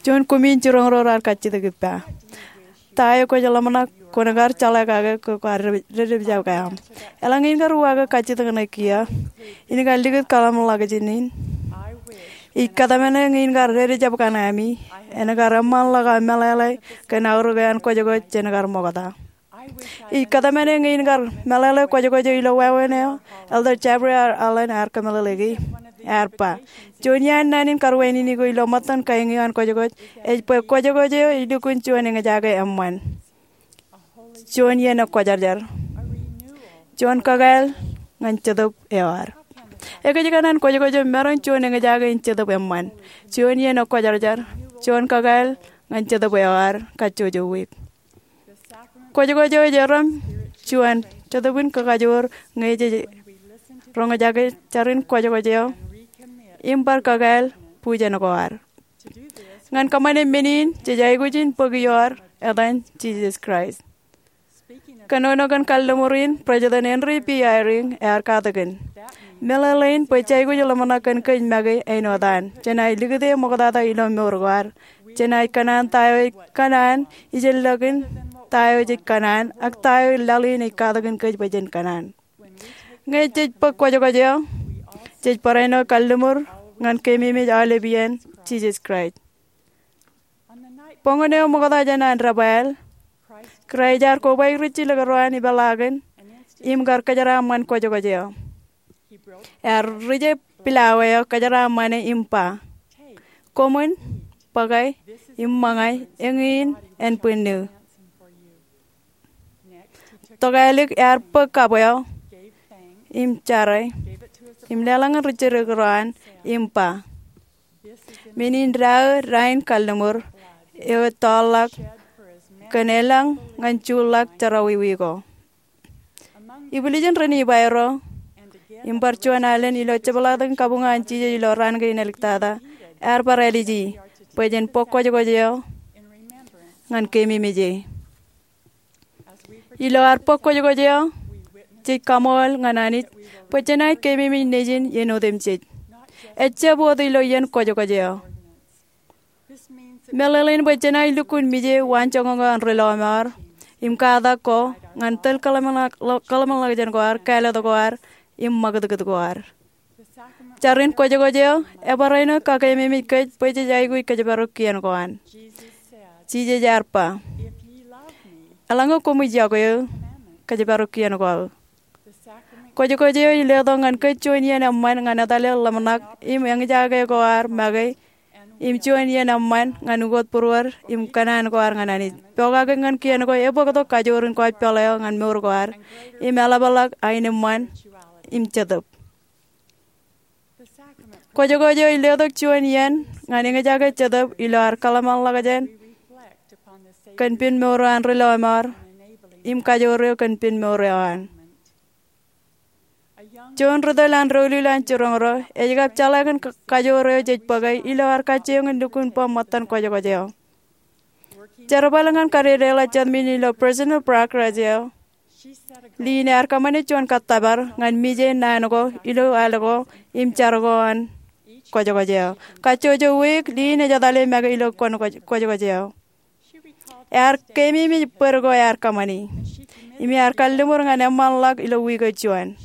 Juon kumi in jiroñ ro raar kajjitōk ippa. Ta eo kwōj ḷōmṇak kwōn kar jeḷā kake ke kwaar dedepe jab kaaṃ? Eḷaññe in kar uwaake kajjitōk ṇe kiiō, in kar likūt kōḷmānḷọkjeṇ in. Ij kōtmāne ñe in kar dedepe jab kanami, en kar eṃṃanḷọk aō meḷeḷe kōn aorōk eo an kwōjkwōj jān kar ṃokta. Ij kōtmāne ñe in kar meḷeḷe kwōjkwōj eo ilo wāween eo, Elder Jeffrey R. Holland ear kōmeḷeḷeiki. Ear ba, juon iaan naan in karuwainene ko ilo ṃōttan kain eo an kwōjkwōj, ej bwe kwōjkwōj eo ej lukkuun juon eñjake eṃṃan. Juon iien kwōjarjar. Juon kakāāl ñan Jetōb eo ad. Ekōjkan an kwōjkwōj eo maroñ juon eñjake in Jetōb eṃṃan, juon iien ekwōjarjar, juon kakāāl ñan Jetōb eo ear kajjojo wiik. Kwōjkwōj eo ej erom juon Jetōb in kakajoor ñe jej roñjake jar in kwōjkwōj eo im bar kakāāl bwijin ko ad. Ñan kōṃṃane men in, jej aikuj in bōk ioer etan Jisōs Kraist. Kōnono kōn kalliṃur in, President Henry B. Eyring ear katakin, meḷeḷein bwe jej aikuj ḷōmṇak kōn kōj make āinwōt an, jenaaj likūt e ṃoktata ilo mour ko ad. Jenaaj kōṇaan ta eo ej kōṇaan, ijellọkin ta eo jej kōṇaan, ak ta eo laḷ in ej katakin kōj bwe jen kōṇaan. Ñe jej bōk kwōjkwōj eo, jej barāinwōt kalliṃur ñan keememej aolep iien Jisōs Kraist. Boñōn eo ṃokta jān an debwāāl, Kraist ear kobaik ri jilkinḷọk ro an ipeḷaakin im kar kōjeraaṃṃan kwōjkwōj eo. Ear rije pilawā eo kōjeraaṃṃane im ba, koṃwin bōke im ṃōñā, eñin en bwinnū. Tokālik ear bōk kab eo im jare im leḷọk ñan ri jilkinḷọk ro an im ba, men in deo rainin kalliṃur eo ettoorḷọk kōn elōñ ñan juḷḷọk jerọwiwi ko. Ibwiljin ren iba ro, im bar juon alen ilo jepḷaaktok in kabuñ an Jisōs ilo raan kein āliktata, ear bar āliji bwe jen bōk kwōjkwōj eo ñan keememej e. Ilo ad bōk kwōjkwōj eo, jej kaṃool ñan Anij bwe jenaaj keememej Nejin iien otemjej, ejjab wōt ilo iien kwōjkwōj eo. Meḷeḷein bwe jenaaj lukkuun mije waanjoñak eo an ri lọmọọr im katak ko ñan tōl kōḷmānḷọkjeṇ ko ad, kāālōt ko ad, im ṃakūtkūt ko ad. Jar in kwōjkwōj eo ebarāinwōt kakeememej kōj bwe jej aikuj kōjparok kien ko an. Jisōs ear ba, eḷaññe koṃij yokwe eō, kōjparok kien ko aō. Kwōjkwōj eo ej letok ñan kōj juon iien eṃṃan ñan etale ḷōmṇak im eñjake ko ad make, im juon iien eṃṃan ñan ukōt būruod im kōṇaan ko ad ñan Anij. Pokake ñan kien ko ebōktok kajoor in kwōj peḷḷọk eo ñan mour ko ad im eḷapḷọk aenōṃṃan im Jetōb. Kwōjkwōj eo ej letok juon iien ñan eñjake Jetōb ilo ad kōḷmānḷọkjeṇ kōn pen mour eo an ri lọmọọr im kajoor eo kōn pen mour eo an. Juon ri tōl an doulul an jiroñ ro ej kab jeḷā kōn ka-, kajoor eo jej bōke ilo ad kajjioñ in lukkuun ba ṃōttan kwōjkwōj eo. Jerbal ñan kadedeḷọk jatmeen ilo Personal Progress eo, Lynn ear kōṃṃane juon kōttōpar ñan mije naan ko ilo al ko im jar ko an kwōjkwōj eo. Kajjojo wiik, Lynn ej etale make ilo kōn kwōj-, kwōjkwōj eo. Ear keememej bōd ko ear kōṃṃani, im ear kalliṃur ñan eṃṃanḷọk ilo wiik eo juon.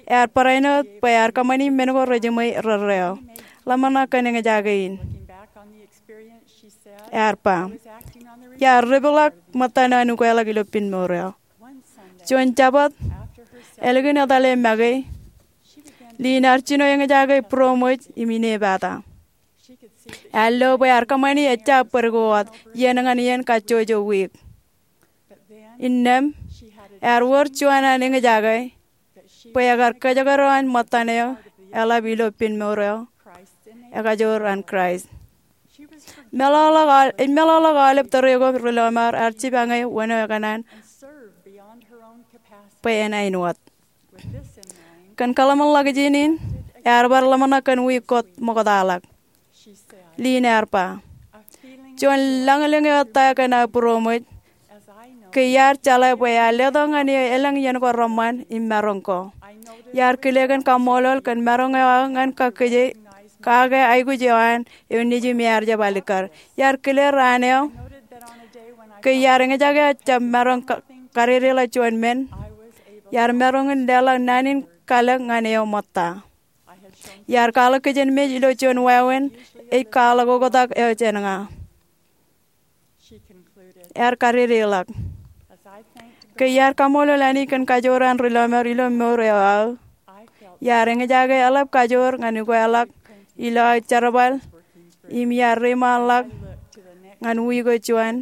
Ear barāinwōt bwe ear kōṃṃani men ko rejiṃwe erreo. Ḷōmṇak kōn eñjake in. Ear ba, iar depḷọk ṃōttan eo an ukeḷọk ilo pen mour eo. Juon Jabōt, ālikin etale make, Lynn ear jino eñjake būroṃōj im inepata. Ear lo bwe ear kōṃṃani ejja bōd ko wōt iien ñan iien kajjojo wiik. Innām, ear wōr juon an eñjake bwe ekar kōjekdọọn ṃōttan eo eḷap ilo pen mour eo, ekajoor an Kraist. Meḷọkḷọk aol-, ej meḷọkḷọk aolep tōre ko ri lọmọọr ear jipañ e wōn eo ekōṇaan bwe en āinwōt. Kōn kōḷmānḷọkjeṇ in, ear bar ḷōmṇak kōn wiik ko ṃoktaḷọk. Lynn ear ba, juon lañlōñ eo ettā kōn aō būroṃōj, ke iar jeḷā bwe iar letok ñan eō elōñ iien ko reṃṃan im maroñ ko. Iar kile kōn kaṃṃoolol kōn maroñ eo aō ñan kake, kake aikuj eo an eo nejū me ear jab alikkar. Iar kile raan eo ke iar eñjake aō jab maroñ ka-, kadedeḷọk juon men, iar maroñ in leḷọk naan in kalōk ñan eō ṃōtta. Iar kwaḷọk kijenmej ilo juon wāween ej kwaḷọk oktak eo jān ña. Ear kadedeḷọk, ke iar kaṃṃoolol Anij kōn kajoor an ri lọmọọr ilo mour eo aō, iar eñjake eḷap kajoor ñan ukeḷọk ilo aō jerbal im iar reiṃaanḷọk ñan wiik eo juon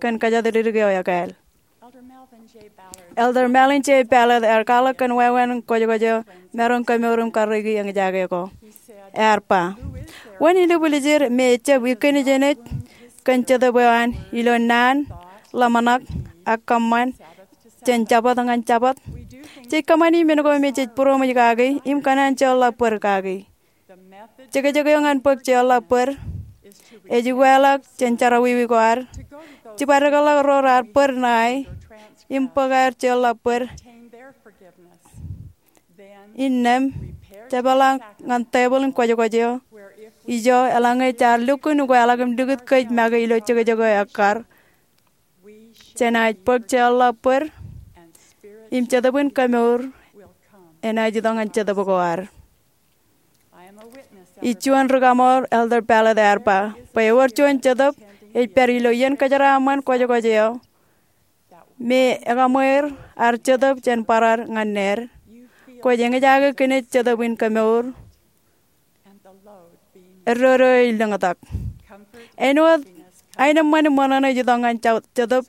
kōn kōjatdikdik eo ekāāl. Elder Melvin J. Ballard ear kwaḷọk kōn wāween kwōjkwōj eo maroñ kemour im karreoiki eñjake ko. Ear ba, wōn ilubwiljir me ejjab ikkinijenej kōn Jetōb eo an ilo naan, ḷōmṇak, ak kōṃṃan jān Jabōt ñan Jabōt? Jej kōṃṃani men ko me jej būroṃōj kaki im kōṇaan jeorḷọk bōd kaki. Jekjek eo ñan bōk jeorḷọk bōd ej ukeḷọk jān jerọwiwi ko ad, jibadekḷọk ro raar bōd ṇae im bōk aer jeorḷọk bōd, innām jepeḷḷọk ñan tebōḷ in kwōjkwōj eo ijo eḷaññe jaar lukkuun ukeḷọk im likūt kōj make ilo jekjek eo ekkar, jenaaj bōk jeorḷọk bōd im Jetōb in kemour enaaj itok ñan Jetōb ko ad. Ij juon ri-kaṃool, Elder Ballard ear ba, bwe ewōr juon Jetōb ej pād ilo iien kōjeraaṃṃan kwōjkwōj eo me ekaṃweer ad Jetōb jān bar ad ñan ned. Kwōj eñjake kinej Jetōb in kemour eddodo eo ej lōñtak. Āinwōt aenōṃṃan im ṃōṇōṇō ej itok ñan Jetōb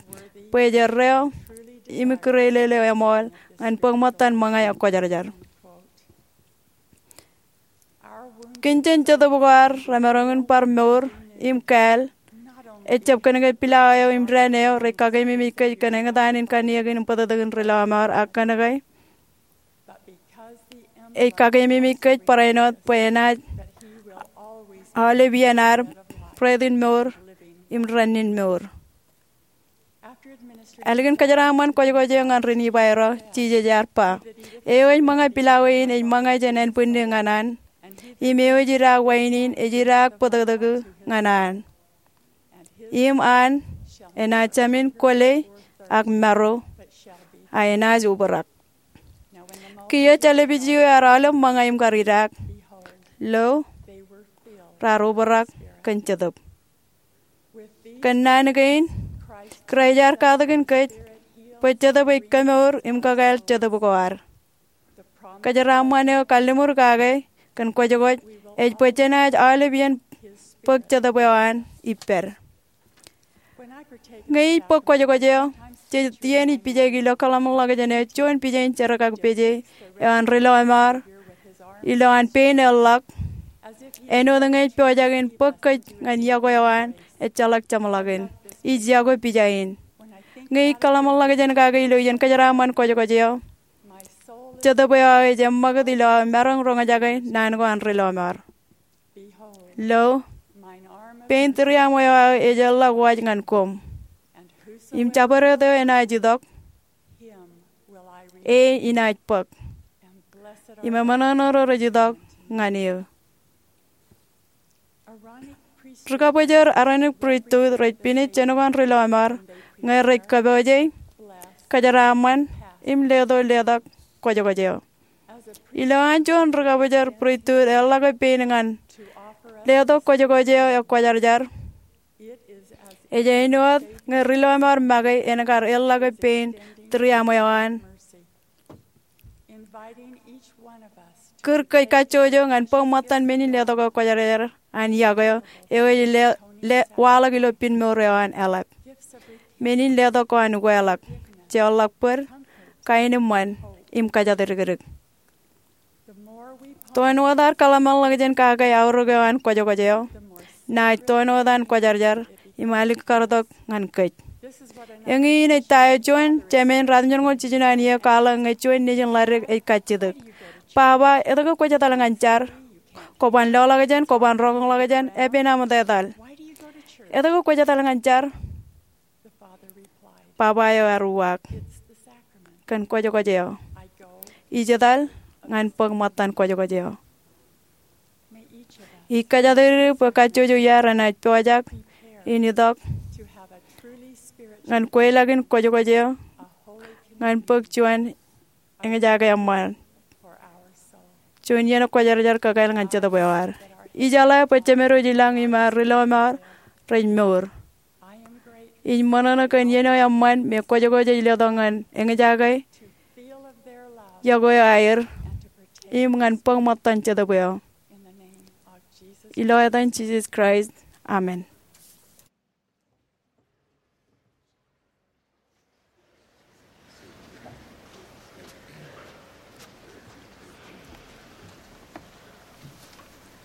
bwe ej erreo im kireelel eo eṃool ñan bōk ṃōttan ṃōñā ekwōjarjar. Kōn jān Jetōb ko ad remaroñ in bar mour im kāāl, ejjab kōnke pilawā eo im dān eo rej kakeememej kōj kōn eñtaan in kanniōkin im bōtōktōkin ri-lọmọọr, ak kōnke ej kakeememej kōj barāinwōt bwe enaaj aolep iien ad bread in mour im rennin mour. Ālikin kōjeraaṃṃan kwōjkwōj eo ñan ri-Nifai ro, Jisōs ear ba, eo ej ṃōñā pilawā in ej ṃōñā jān ānbwinnū ñan an, im eo ej idaak wain in ej idaak bōtōktōk ñan an. Im an enaaj jāmin kwōle ak maro, a enaaj obrak. Kiiō jālōb eo ear aolep ṃōñā im kar idaak, lo, raar obrak kōn Jetōb. Kōn naan kein, Kraist ear katakin kōj bwe Jetōb ej kemour im kakāāl Jetōb ko ad. Kōjeraaṃṃan eo kalliṃur kake kōn kwōjkwōj ej bwe jenaaj aolep iien bōk Jetōb eo an ippād. Ñe ij bōk kwōjkwōj eo, jej iien ij pijaik ilo kōḷmānḷọkjeṇ eo juon pija in jerkakpeje eo an ri-lọmọọr ilowaan pein eḷḷọk, āinwōt ñe ej pojak in bōk kōj ñan yokwe eo an ejjeḷọk jeṃḷọkin. Ij yokwe pija in. Ñe ij kōḷmānḷọkjeṇ kake ilo iien kōjeraaṃṃan kwōjkwōj eo, Jetōb eo aō ej eṃṃakūt ilo aō maroñ roñjake naan ko an ri-lọmọọr. Lo, pein tūriaṃwe eo aō ej erḷọk waj ñan koṃ. Im jabdewōt eo enaaj itok, e inaaj bōk. Im eṃōṇōṇō ro rej itok ñan eō. Ri-kabōjor Aaronic Pristut rej pinej jān ko an ri-lọmọọr ñe rej kōpooje, kōjeraaṃṃan, im leto letok kwōjkwōj eo. Ilowaan juon ri-kabōjor pristut eḷḷọke pein ñan letok kwōjkwōj eo ekwōjarjar, ej āinwōt ñe ri-lọmọọr make en kar eḷḷọke pein tūriaṃwe eo an. Kūr kōj kajjojo ñan bōk ṃōttan men in letok eo kwōjarjar an yokwe eo, eo ej le, le, waḷọk ilo pinmour eo an eḷap. Men in letok ko an ukeḷọk, jeorḷọk bōd, kaenōṃṃan, im kōjatdikdik. Toon wōt ad kōḷmānḷọkjeṇ kake aorōk eo an kwōjkwōj eo, naaj toon wōt an kwōjarjar im alikkar tok ñan kōj. Eñin ej ta eo juon jemān ratimjuonñoul jiljino an iiō kwaḷọk ñe juon nejin ḷadik ej kajjitōk. Baba, etke kwōj etal ñan jar? Kwō ban loḷọkjeṇ, kwō ban roñoul ḷọkjeṇ, epen aṃ etal. Etke kwōj etal ñan jar? Baba eo ear uwaak, kōn kwōjkwōj eo. Ij etal ñan bōk ṃōttan kwōjkwōj eo. Ij kōjatdikdik bwe kajjojo iaad renaaj pojak in itok ñan kweilọk in kwōjkwōj eo, ñan bōk juon eñjake eṃṃan, juon iien kwōjarjar kakāāl ñan Jetōb eo ad. Ij jeḷā bwe Jemedooj ilañ im ad ri-lọmọọr rej mour. Ij ṃōṇōṇō kōn iien eo eṃṃan me kwōjkwōj ej letok ñan eñjake yokwe eo aer im ñan bōk ṃōttan Jetōb eo. Ilo etan Jisōs Kraist, amen.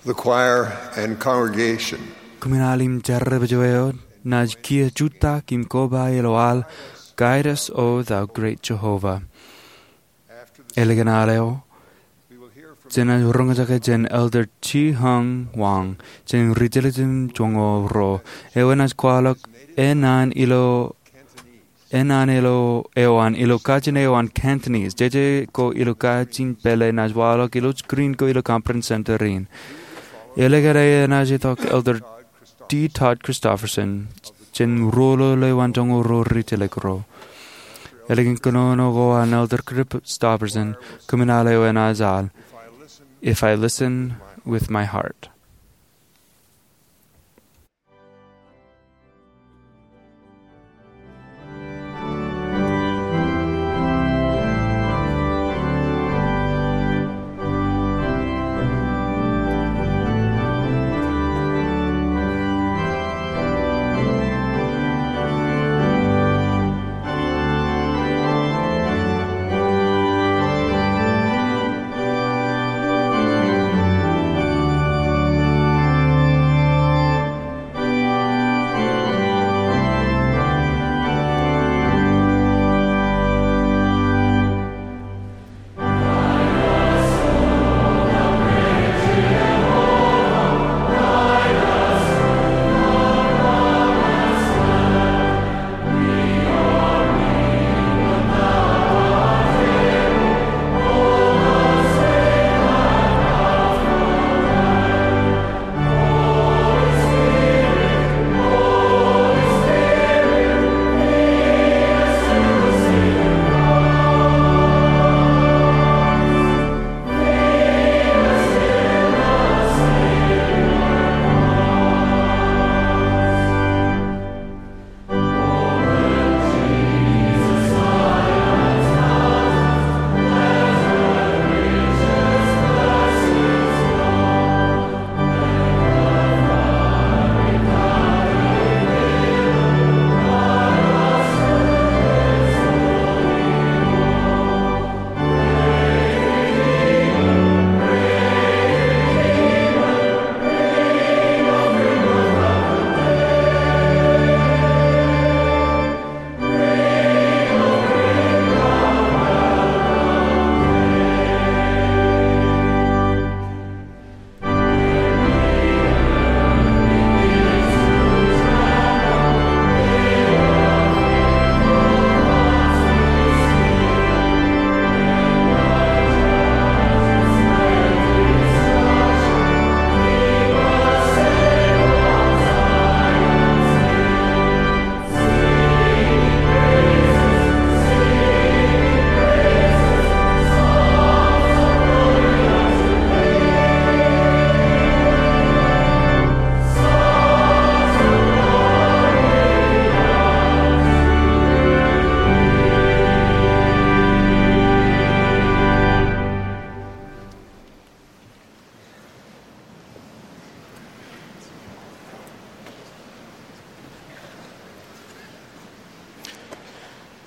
The choir and congregation. Kōmin al im jar rej pojak eo, naaj kiiō jutak im koba ilo al, Guide Us, O Thou Great Jehovah. Ālikin al eo, jenaaj roñjake jān Elder Chi Hung Wang, jān ri-jelōt im joñoul ruo, eo enaaj kwaḷọk enaan ilo, enaan ilo, eo an ilo kajin eo an Cantonese, jeje ko ilo kajin pālle naaj waḷọk ilo screen ko ilo Conference Center in. Ālikin enaaj itok Elder D. Todd Christofferson, jān ruo ḷọk eo an joñoul ruo ri-jelōt ro. Ālikin kōnono ko an Elder Christofferson, kōmin al eo enaaj al, If I Listen with My Heart.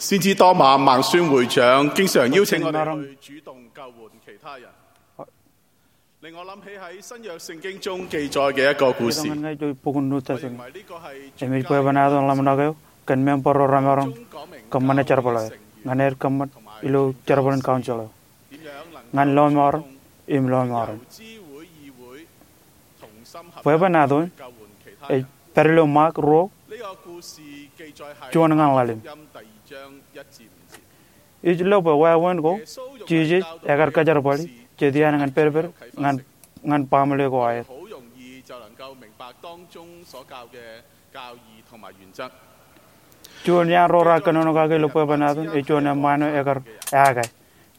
先知多馬孟孫會長經常邀請我哋去主動救援其他人，令我諗起喺新約聖經中記載嘅一個故事。 Ñan ña ej bok in New Testament. Im ej bwebwenato in ḷōmṇak eo kōn member ro remaroñ kōṃṃane jerbal eo. Ñan aer kōṃṃan ilo jerbal in council eo ñan lọmọọren im lọmọọren. Bwebwenato in ej pād ilo Mark ruo, juon ñan ḷalem. Ij lo bwe wāween ko Jisōs ekar kajerbali jet iaan ñan pedped ñan, ñan baaṃle ko aer. Juon iaan ro raar kōnono kake ilo bwebwenato in ej juon eṃṃaan eo ekar ake.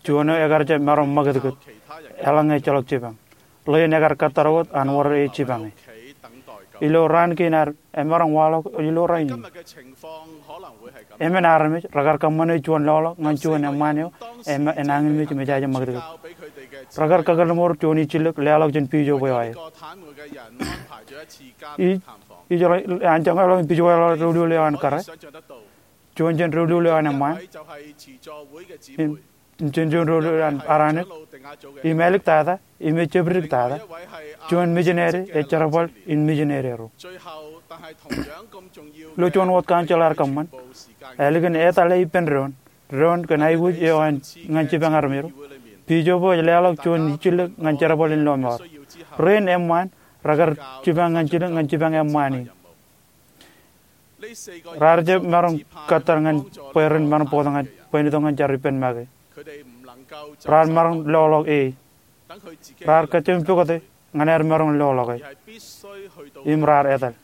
Juon eo ekar jab maroñ ṃakūtkūt. Eḷaññe ejjeḷọk jipañ. Ḷein ekar kōttar wōt an wōr e jipañe. Ilo raan kein ad emaroñ waḷọk ilo rainin. Emān armej rekar kōṃṃane juon loḷọk ñan juon eṃṃaan eo enañinmej im ejaje ṃakūtkūt. Rekar kakōḷmor juon ijjilōk leḷọk jān pijo bwe eo aer. Ij, ij, an joñan ḷọk in pijo bwe eo aer doulul eo an kōrā. Juon jān doulul eo an eṃṃaan. Im im jān juon doulul an Aronik, im āliktata, im ejjab diktata juon mijineri ej jerbal in mijineri ro. Ilo juon wōt council ear kōṃṃan, ālikin etale ippān doon, doon kōn aikuj eo an ñan jipañ armej ro, Bishop eo ej leḷọk juon ijjilōk ñan jerbal in lọmọọr. Rein eṃṃaan rekar jipañ ñan jilōk ñan jipañ eṃṃaan in. Raar jab maroñ kōttar ñan bwe ren maroñ bōktok ñan bwe en itok ñan jar ippān make. Raar maroñ loḷọk e. Raar kajjioñ pukot e ñan aer maroñ loḷọk e. Im raar etal.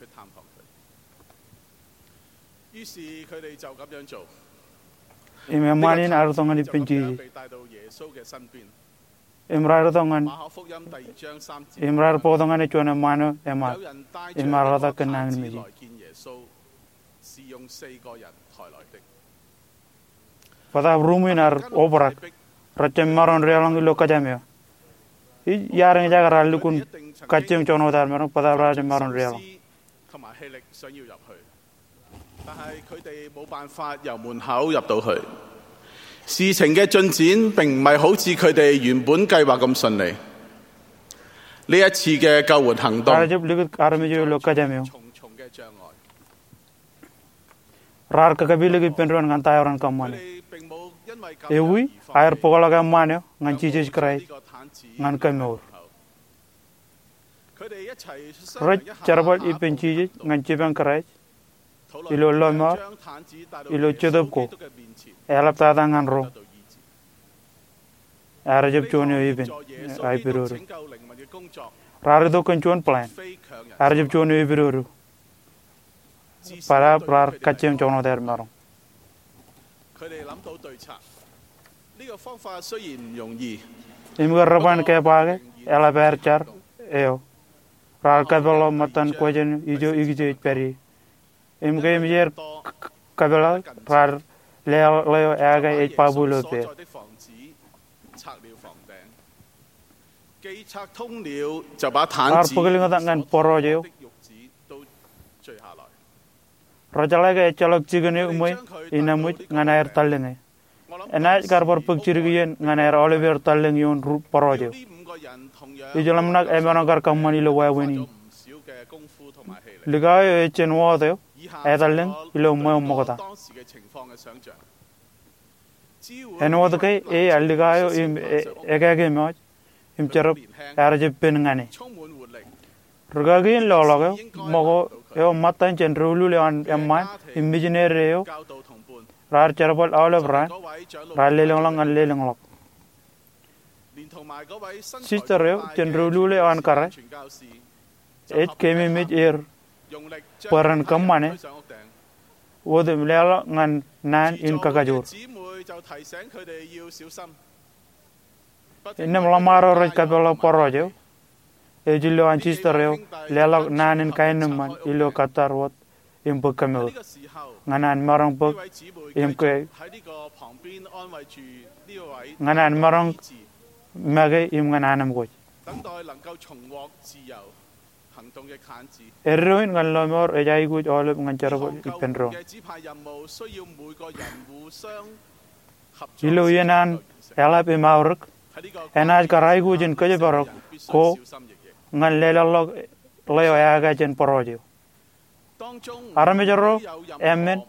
Im eṃṃaan in ear itok ñan ippān Jisōs. Im raar itok ñan, im raar bōktok ñan e juon eṃṃaan eo eṃṃaan. Im ear ḷotak kōn nañinmej in. Bōtaab ruṃwin ear obrak, rej jab maroñ deḷọñ ilo kōjām eo. Ij iar eñjake raar lukkuun kajjioñ joñan wōt aer maroñ, bōtaab raar jab maroñ deḷọñ. Raar jab likūt armej eo ilo kōjām eo. Raar kakāpelik ippān doon ñan ta eo ren kōṃṃane. Ewi, aer bōkḷọk eṃṃaan eo ñan Jisōs Kraist ñan kōmour. Rej jerbal ippān Jisōs ñan jipañ Kraist ilo lọmọọr, ilo jetōb ko, eḷaptata ñan ro. Ear jab juon eo epen, aipidodo. Raar itok kōn juon plan. Ear jab juon eo epidodo. Bōtaab raar kajjioñ joñan wōt aer maroñ. Im ke re ban ke ba ke eḷap aer jar eo. Raar kapeḷḷọk ṃōttan question ijo ikijej pād ie. Im ke eṃōj aer k-, k-, kapeḷḷọk, raar leḷọk ḷeo eo ke ej babu ilo pād. Raar bōklōñtak ñan bōrọọj eo. Rejeḷā ke ejjeḷọk jikin eo ṃweo in eṃōj ñan aer tallōñe. Enaaj kar bar bōk jidik iien ñan aer aoleper tallōñ ioon ri bōrọọj eo. Ij ḷōmṇak emaroñ kar kōṃṃan ilo wāween in. Likao eo ej jān wōt eo, etallōñ ilo ṃweo ṃokta. Āinwōt ke e ear likao eo im e-, ekāke mọj, im jerbal ear jab pen ñan e. Rūkaki in loḷọk eo, ṃōko eo ṃōttan jān doulul eo an eṃṃaan, im mijineri eo, raar jerbal aolep raan, raar lelōñḷọk ñan lelōñḷọk. Sister eo jān doulul eo an kōrā, ej keememej er bwe ren kōṃṃane wōt im leḷọk ñan naan in kakajoor. Innām ḷōṃaro rej kapeḷḷọk bōrọọj eo, ej ilo an sister eo leḷọk naan in kaenōṃṃan ilo kōttar wōt im bōk kōmour. Ñan an maroñ bōk im ke, ñan an maroñ make im ñan anemkwōj. Eddoin ñan lọmọọr ej aikuj aolep ñan jerbal ippān doon. Ilo iien an eḷap im aorōk, enaaj kar aikuj in kōjparok ko ñan leḷọkḷọk ḷeo eaakā jān bōrọọj eo. Armej ro emān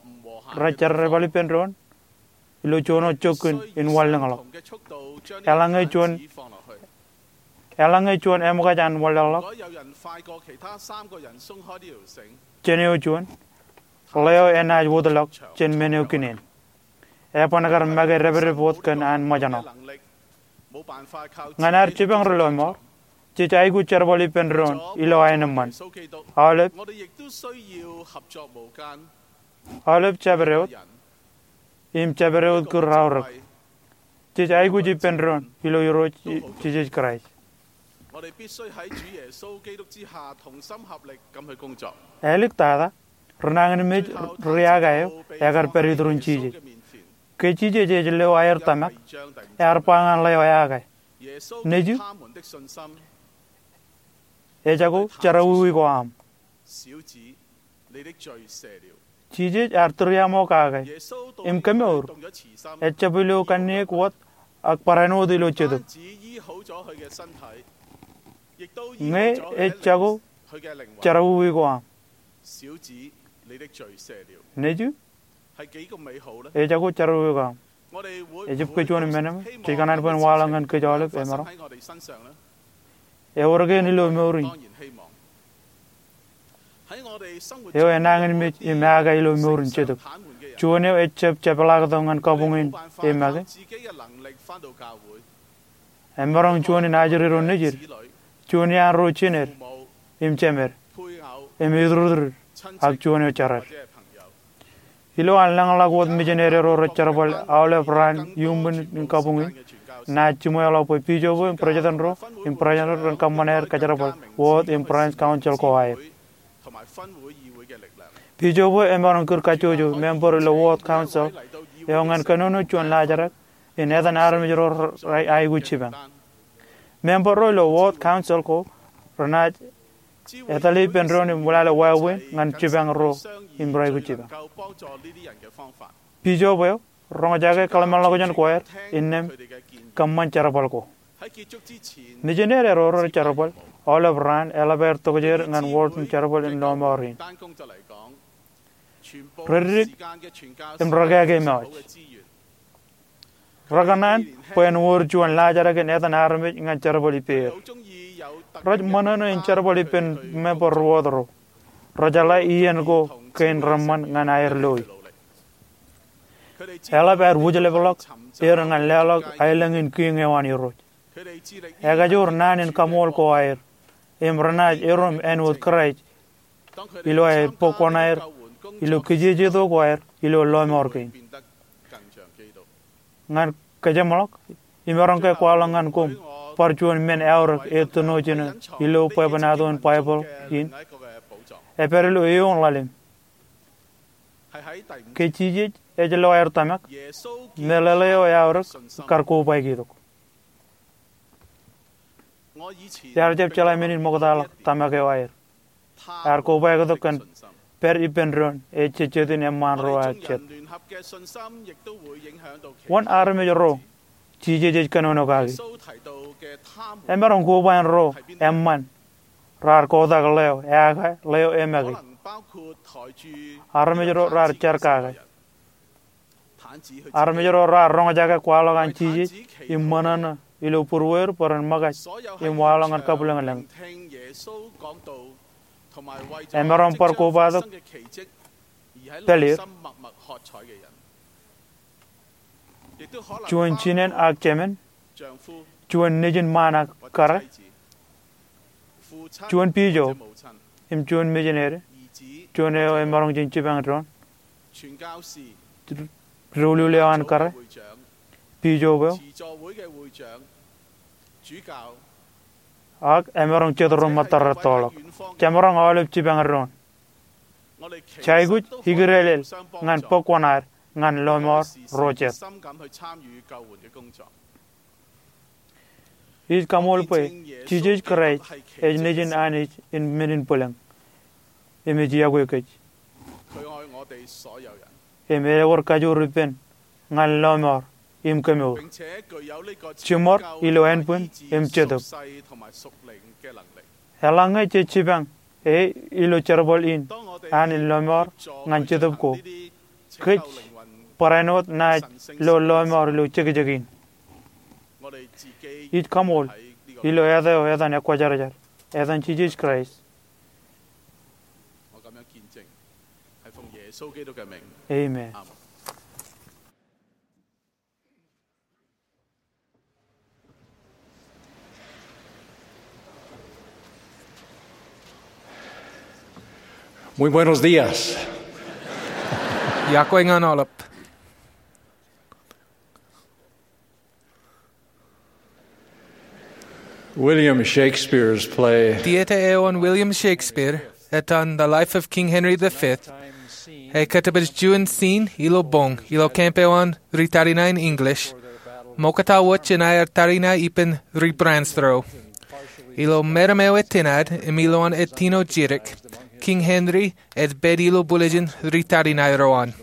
rej jerbal ippān doon ilo juon wōt jokkin in wanlōñḷọk. Eḷaññe juon, eḷaññe juon eṃōkaj an wanlōñḷọk jān eo juon, ḷeo enaaj wōtlọk jān men eo kinen. Eban kar make depdep wōt kōn an ṃōjṇọ. Ñan ad jipañ ri lọmọọr, jej aikuj jerbal ippān doon ilo aenōṃṃan. Aolep, aolep jabdewōt, im jabdewōt kūr raorōk. Jej aikuj ippān doon ilo Irooj Jisōs Kraist. Āliktata, ri nañinmej ri eaakā eo ekar pād iturin Jisōs. Ke Jisōs ej leo aer tōmak, ear ba ñan ḷeo eaakā, nejū, ejako jerọwiwi ko aṃ. Jisōs ear tūriaṃo kake im kemour, ejab ilo kanniōk wōt ak barāinwōt ilo jetōb. Ñe ej jako jerọwiwi ko aṃ, nejū, ejako jerọwiwi ko aṃ. Ejjab ke juon men eo jej kōṇaan bwe en waḷọk ñan kōj aolep emaroñ? Ewōr ke en ilo mour in? Eo enañinmej im aō ke ilo mour in jetōb, juon eo ejjab jepḷaaktok ñan kabuñ in e make, emaroñ juon in ajri ro nejid, juon iaan ro jined im jemed, im ituritur, ak juon eo jered. Ilo an lōñḷọk wōt misineri ro rej jerbal aolep raan iuṃwin in kabuñ in, naaj jiṃweḷọk bwe bijopo im president ro im president ro ren kōṃṃan aer kajerbal wōt im branch council ko aer. Bijopo emaroñ kūr kajjojo member ilo wōt council eo ñan kōnono juon laajrak in etan armej ro rej aikuj jipañ. Member ro ilo wōt council ko renaaj etale ippān doon im wōtlọk wāween ñan jipañ ro im rej aikuj jipañ. Bijopo eo roñjake kōḷmānḷọkjeṇ ko aer innām kōṃṃan jerbal ko. Misineri ro rej jerbal aolep raan eḷap aer tokjāer ñan wōt in jerbal in lọmọọr in. Reddik im rekāke im ewōj. Rekōṇaan bwe en wōr juon laajrak in etan armej ñan jerbal ippāer. Rej ṃōṇōṇō in jerbal ippān member ro wōt ro. Rej jeḷā iien ko kein reṃṃan ñan aer loi. Eḷap aer wūjlepḷọk er ñan leḷọk aelōñ in kiiñ eo an Irooj. Ekajoor naan in kaṃool ko aer im renaaj erom āinwōt Kraist ilo aer bōk kuṇaer ilo kijejeto ko aer ilo lọmọọr kein. Ñan kōjeṃḷọk, imaroñ ke kwaḷọk ñan koṃ bar juon men eaorōk ej tōnojin ilo bwebwenato in Baibōḷ in, epād ilo eoon ḷalem. Ke Jisōs ej lo aer tōmak, meḷeḷe eo eaorōk kar kobaik itok. Iar jab jeḷā men in ṃoktaḷọk tōmak eo aer. Ear kobaik itok kōn pād ippān doon ejejjet in eṃṃaan ro aō jet. Wōn armej ro Jisōs ej kōnono kaki? Emaroñ kobaik in ro eṃṃan raar kotak ḷeo eaake, ḷeo emake. Armej ro raar jar kake. Armej ro raar roñjake kwaḷọk an Jisōs im ṃōṇōṇō ilo būruweir bwe ren ṃōkaj im waḷọk ñan kabwilōñlōñ. Emaroñ bar kobaik itok pāleer. Juon jinen ak jemān, juon nejin ṃaan ak kōrā, juon bijo im juon misineri, juon eo emaroñ jen jipañ doon, doulul eo an kōrā, bijo eo, ak emaroñ jet ro ṃōttōr rettoḷọk. Jemaroñ aolep jipañ doon. Jej aikuj ikdeḷeḷ ñan bōk kuṇaer ñan lọmọọr ro jet. Ij kaṃool bwe Jisōs Kraist ej Nejin Anij in men in bwilōñ im ej yokwe kōj. Im ewōr kajoor ippān ñan lọmọọr im kemour, jiṃor ilo ānbwin im jetōb. Eḷaññe jej jipañ e ilo jerbal in an in lọmọọr ñan jetōb ko, kōj barāinwōt naaj lo lọmọọr ilo jekjek in. Ij kaṃool ilo eta eo etan Ekwōjarjar, etan Jisōs Kraist. Amen. Muy buenos días. Iọkwe ñan aolep. William Shakespeare's play. Tieta eo an William Shakespeare, etan The Life of King Henry the Fifth, ekōtōpar juon scene ilo boñ ilo camp eo an ri tariṇae in English, ṃoktata wōj jān aer tariṇae ippān ri Prance ro. Ilo meram eo etinaad im ilowaan ettino jidik, King Henry ej pād ilo buljin ri tariṇae ro an.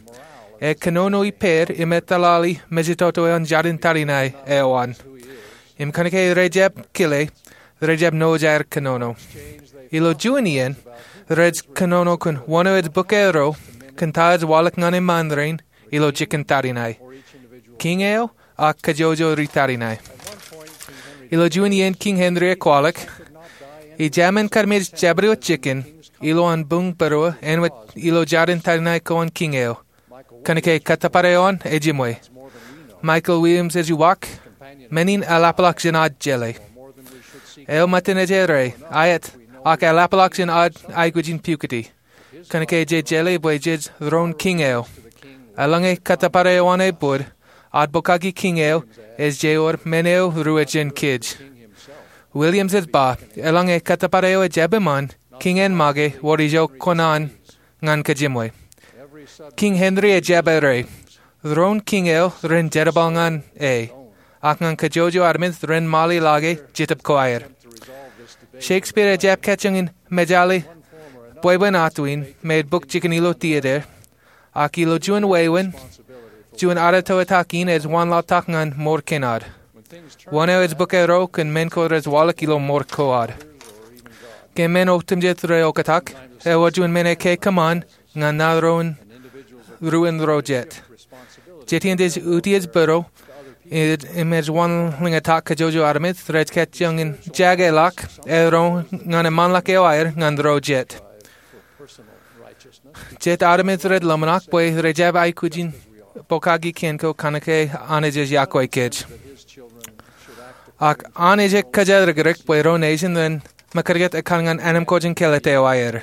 E kōnono ippāer im etōllāḷi mejatoto eo an jarin tariṇae eo an. Im kōnke rej jab kile, rej jab nōj aer kōnono. Ilo juon iien, rej kōnono kōn wōn eo ej bōk eo kōn ta ej waḷọk ñan eṃṃan rein ilo jikin tariṇae, kiiñ eo ak kajjojo ri tariṇae. Ilo juon iien Kiiñ Henry ej kwaḷọk, ij jab men kar mej jabdewōt jikin ilo an buñ būruō āinwōt ilo jarin tariṇae ko an kiiñ eo. Kōnke kōttōpar eo an ejiṃwe. Michael Williams ej uwaak, men in eḷapḷọk jān ad jeḷā. Eo ṃōttan ej errā, aet, ak eḷapḷọk jān ad aikuj in pukoti. Kōnke jej jeḷā bwe jej doon kiiñ eo. Eḷaññe kōttōpar eo an ebōd, ad pokake kiiñ eo ej jeiū men eo ruo jān kōj. Williams ej ba, eḷaññe kōttōpar eo ej jab eṃṃan, kiiñ en make wōr ijo kōṇaan ñan kōj jiṃwe. Kiiñ Henry ej jab errā, doon kiiñ eo ren jerbal ñan e, ak ñan kajjojo armej ren ṃaḷi ḷọk e Jetōb ko aer. Shakespeare ej jab kajjioñ in mejāle bwebwenato in me ej bōk jikin ilo theatre, ak ilo juon wāween, juon adeto etak in ej wanlaḷtak ñan mour kein ad. Wōn eo ej bōk eo kōn men ko rej waḷọk ilo mour ko ad. Ke men otemjej reoktak, ewōr juon men ekkā kōṃṃan ñan naan ro in ruo in ro jet. Jet in jej utiej būruō im ej wanlōñtak kajjojo armej rej kajjioñ in jakeḷọk ro ñan eṃṃanḷọk eo aer ñan ro jet. Jet armej rej ḷōmṇak bwe rej jab aikuj in pokake kien ko kōnke Anij ej yokwe kōj. Ak Anij ej kōjatdikdik bwe ro nation ren mekūtkūt ekkar ñan anamkwōj in kāālōt eo aer.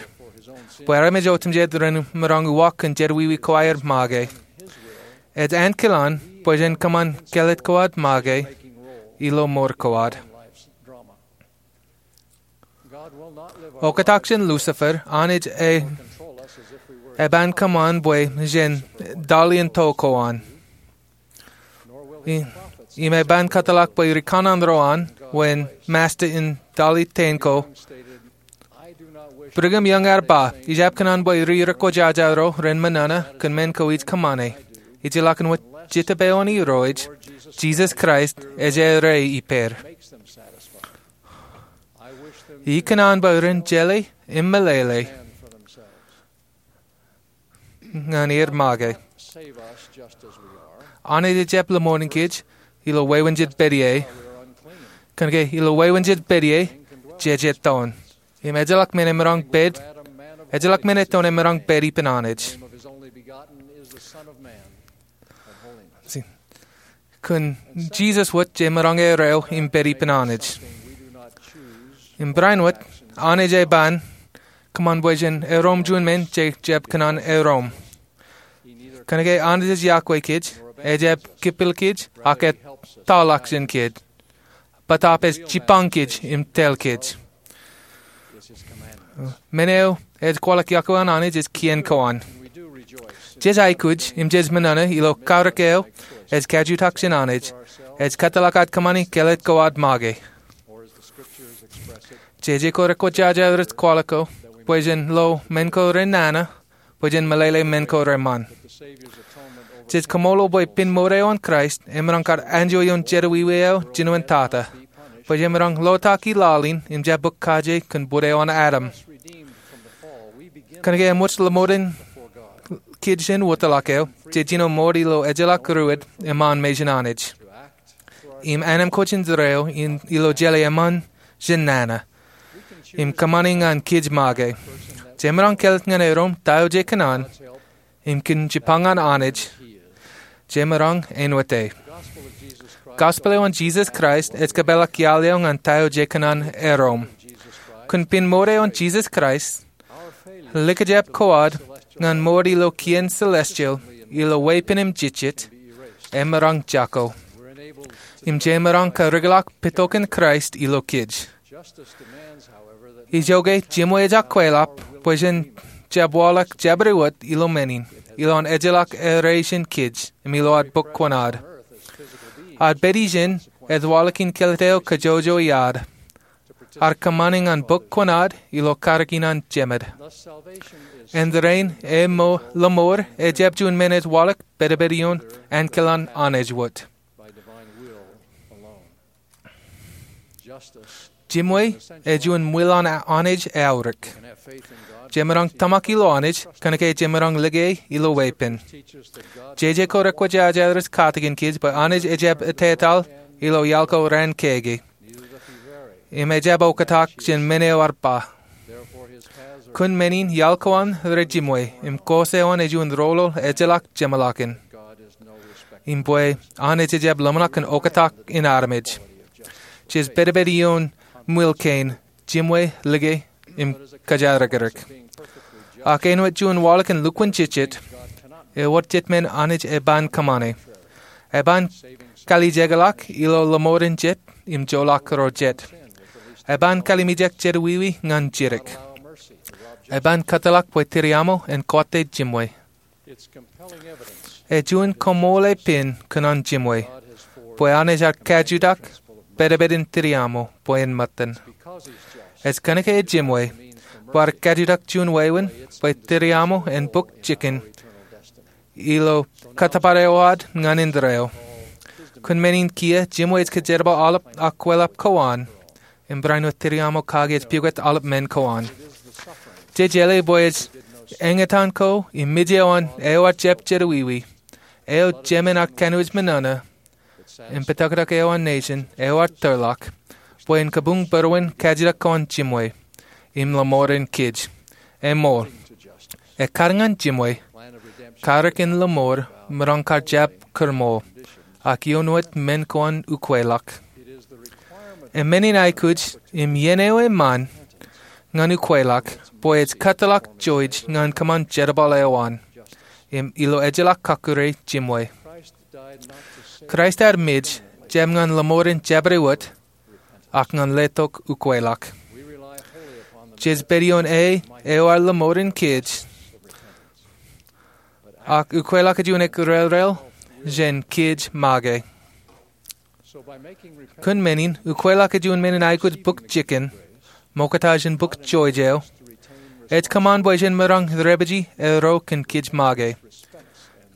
Bwe armej otemjej ren maroñ uwaak kōn jeddwiwi ko aer make. Ej ankilaan bwe jen kōṃṃan kāālōt ko ad make ilo mour ko ad. Oktak jān Lucifer, Anij e, eban kōṃṃan bwe jen tōl iien to ko an. I, im eban kōtḷọk bwe ri kanaan ro an, wōn masta in tōl iien ko. Brigham Young ear ba, ij jab kōṇaan bwe ri rekwōjājā ro ren ṃōṇōṇō kōn men ko ij kōṃṃane. Ij ilọk in wōt Jetōb eo an Irooj, Jisōs Kraist, ej errā ippāer. Ij kōṇaan bwe ren jeḷā im meḷeḷe ñan er make. Anij ej jab lōṃoon kōj ilo wāween jej pād ie. Kōnke ilo wāween jej pād ie, jej ettoon. Im ejjeḷọk men emaroñ pād, ejjeḷọk men ettoon emaroñ pād ippān Anij. Kōn Jisōs wōt jemaroñ errā eo im pād ippān Anij. Im barāinwōt, Anij eban kōṃṃan bwe jen erom juon men jej jab kōṇaan erom. Kōnke Anij ej yokwe kōj, ejjab kipil kōj, ak ettoḷọk jān kōj. Bōtaab ej jipañ kōj im tōl kōj. Men eo ej kwaḷọk yokwe an Anij ej kien ko an. Jej aikuj im jej ṃōṇōṇō ilo kaurōk eo ej kajutak jān Anij, ej kōtḷọk ad kōṃṃani kāālōt ko ad make. Jeje ko rekwōjājā rej kwaḷọk ko bwe jen lo men ko renana, bwe jen meḷeḷe men ko reṃṃan. Jej kaṃṃoolol bwe pen mour eo an Kraist emaroñ kar anjọ ioon jeddwiwi eo jinoin tata, bwe jemaroñ lotak i laḷ in im jab bōk kaje kōn bōd eo an Adam. Kōnke eṃōj ḷōṃoden kōj jān wōtlọk eo, jej jino mour ilo ejjeḷọk ruwōd eṃṃan mejān Anij. Im anamkwōj in jereo ilo jeḷā eṃṃan jān nana im kōṃṃani ñan kōj make. Jemaroñ kāālōt ñan erom ta eo jekōṇaan im kōn jipañ an Anij, jemaroñ āinwōt e. Gospel eo an Jisōs Kraist ej kōpeḷḷọk iaḷ eo ñan ta eo jekōṇaan erom. Kōn pen mour eo an Jisōs Kraist, likjab ko ad ñan mour ilo kien celestial ilo weeppān im jejjet emaroñ jako. Im jemaroñ karikḷọk petokan Kraist ilo kōj. Ijoke jiṃwe ejjab kweḷap bwe jen jab waḷọk jabdewōt ilo men in, ilo an ejjeḷọk errā jān kōj im ilo ad bōk kuṇaad. Ad pād ijin ej waḷọk in kāālōt eo kajjojo iaad. ear kōṃṃani ñan bōk kuṇaad ilo karōk in an jemed. Āindein e mo- lōṃoor ejjab juon men ej waḷọk pedped ioon ankilaan Anij wōt. Jimwe ej juon ṃwilaḷ an Anij eaorōk. Jemaroñ tōmak ilo Anij kōnke jemaroñ lōke e ilo weeppān. Jeje ko rekwōjarjar ej katakin kōj bwe Anij ejjab ettetaḷ ilo iaḷ ko raan kōkeeḷ, im ejjab oktak jān men eo ear ba. Kōn men in iaḷ ko an rej jimwe, im kōs eo an ej juon roñoul ejjeḷọk jeṃḷọkin. Im bwe Anij ejjab ḷōmṇak kōn oktak in armej. Jej pedped ioon ṃwilaḷ kein, jimwe, lōke, im kōjatdikdik. Ak āinwōt juon waḷọk in lukkuun jejjet, ewōr jet men Anij eban kōṃṃane. Eban kalijekḷọk ilo lōṃoor in jet im joḷọk ro jet. Eban kalimjek jerawiwi ñan jidik. Eban kōtḷọk bwe tiriaṃo en kọtte jimwe. Ej juon kaṃṃoolol pein kōn an jimwe bwe Anij ear kajutak pedped in tiriaṃo bwe en ṃōttan. Ej kōnke ej jimwe bwe ear kajutak juon wāween bwe tiriaṃo en bōk jikin ilo kōttōpar eo ad ñan indeeo. Kōn men in kiiō, jimwe ej kōjerbal aolep akweḷap ko an im barāinwōt tiriaṃo kake ej pukot aolep men ko an. Jejeḷā bwe ej eñtaan ko im mej eo an eo ear jab jerawiwi, eo jemān ear kanooj men ṇa, im pātaktak eo an nation eo ear tōrḷọk bwe en kabuñ būruon kajutak ko an jimwe im lōṃoor in kōj. Eṃool, ekkar ñan jimwe, karōk in lōṃoor maroñ kar jab kūrṃool, ak ioon wōt men ko an ukweḷọk. Im men in aikuj im iien eo eṃṃan ñan ukweḷọk bwe ej kōtḷọk jouj ñan kōṃṃan jerbal eo an im ilo ejjeḷọk kọkkure jimwe. Kraist ear mej jab ñan lōṃoor in jabdewōt, ak ñan letok ukweḷọk. Jej pād ioon e eo ear lōṃoor in kōj, ak ukweḷọk ej juon eklōñḷọk jān kōj make. Kōn men in, ukweḷọk ej juon men in aikuj bōk jikin, ṃokta jān bōk jouj eo, ej kōṃṃan bwe jen maroñ dāpiji ro kōn kōj make.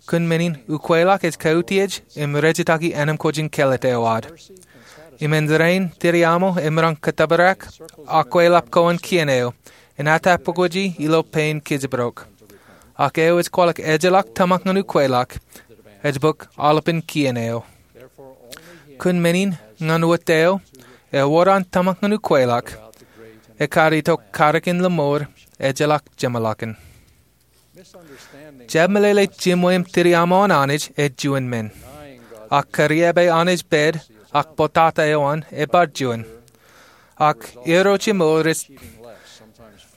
Kōn men in, ukweḷọk ej kautiej im rejjitōk ānōṃ ko jān kāālōt eo ad. Im āindein, tiriaṃo emaroñ kōttōpar akweḷap ko an kien eo, im atāpukweji ilo pein kōjparok. Ak eo ej kwaḷọk ejjeḷọk tōmak ñan ukweḷọk, ej bōk aolepān kien eo. Kōn men in, ñan wōt eo ewōr an tōmak ñan ukweḷọk, ekkar itok karōk in lōṃoor ejjeḷọk jeṃḷọkin. Jab meḷeḷe jimwe im tiriaṃo an Anij ej juon men. Ak kariab e Anij pād ak bōtata eo an ebar juon. Ak irooj im ro rej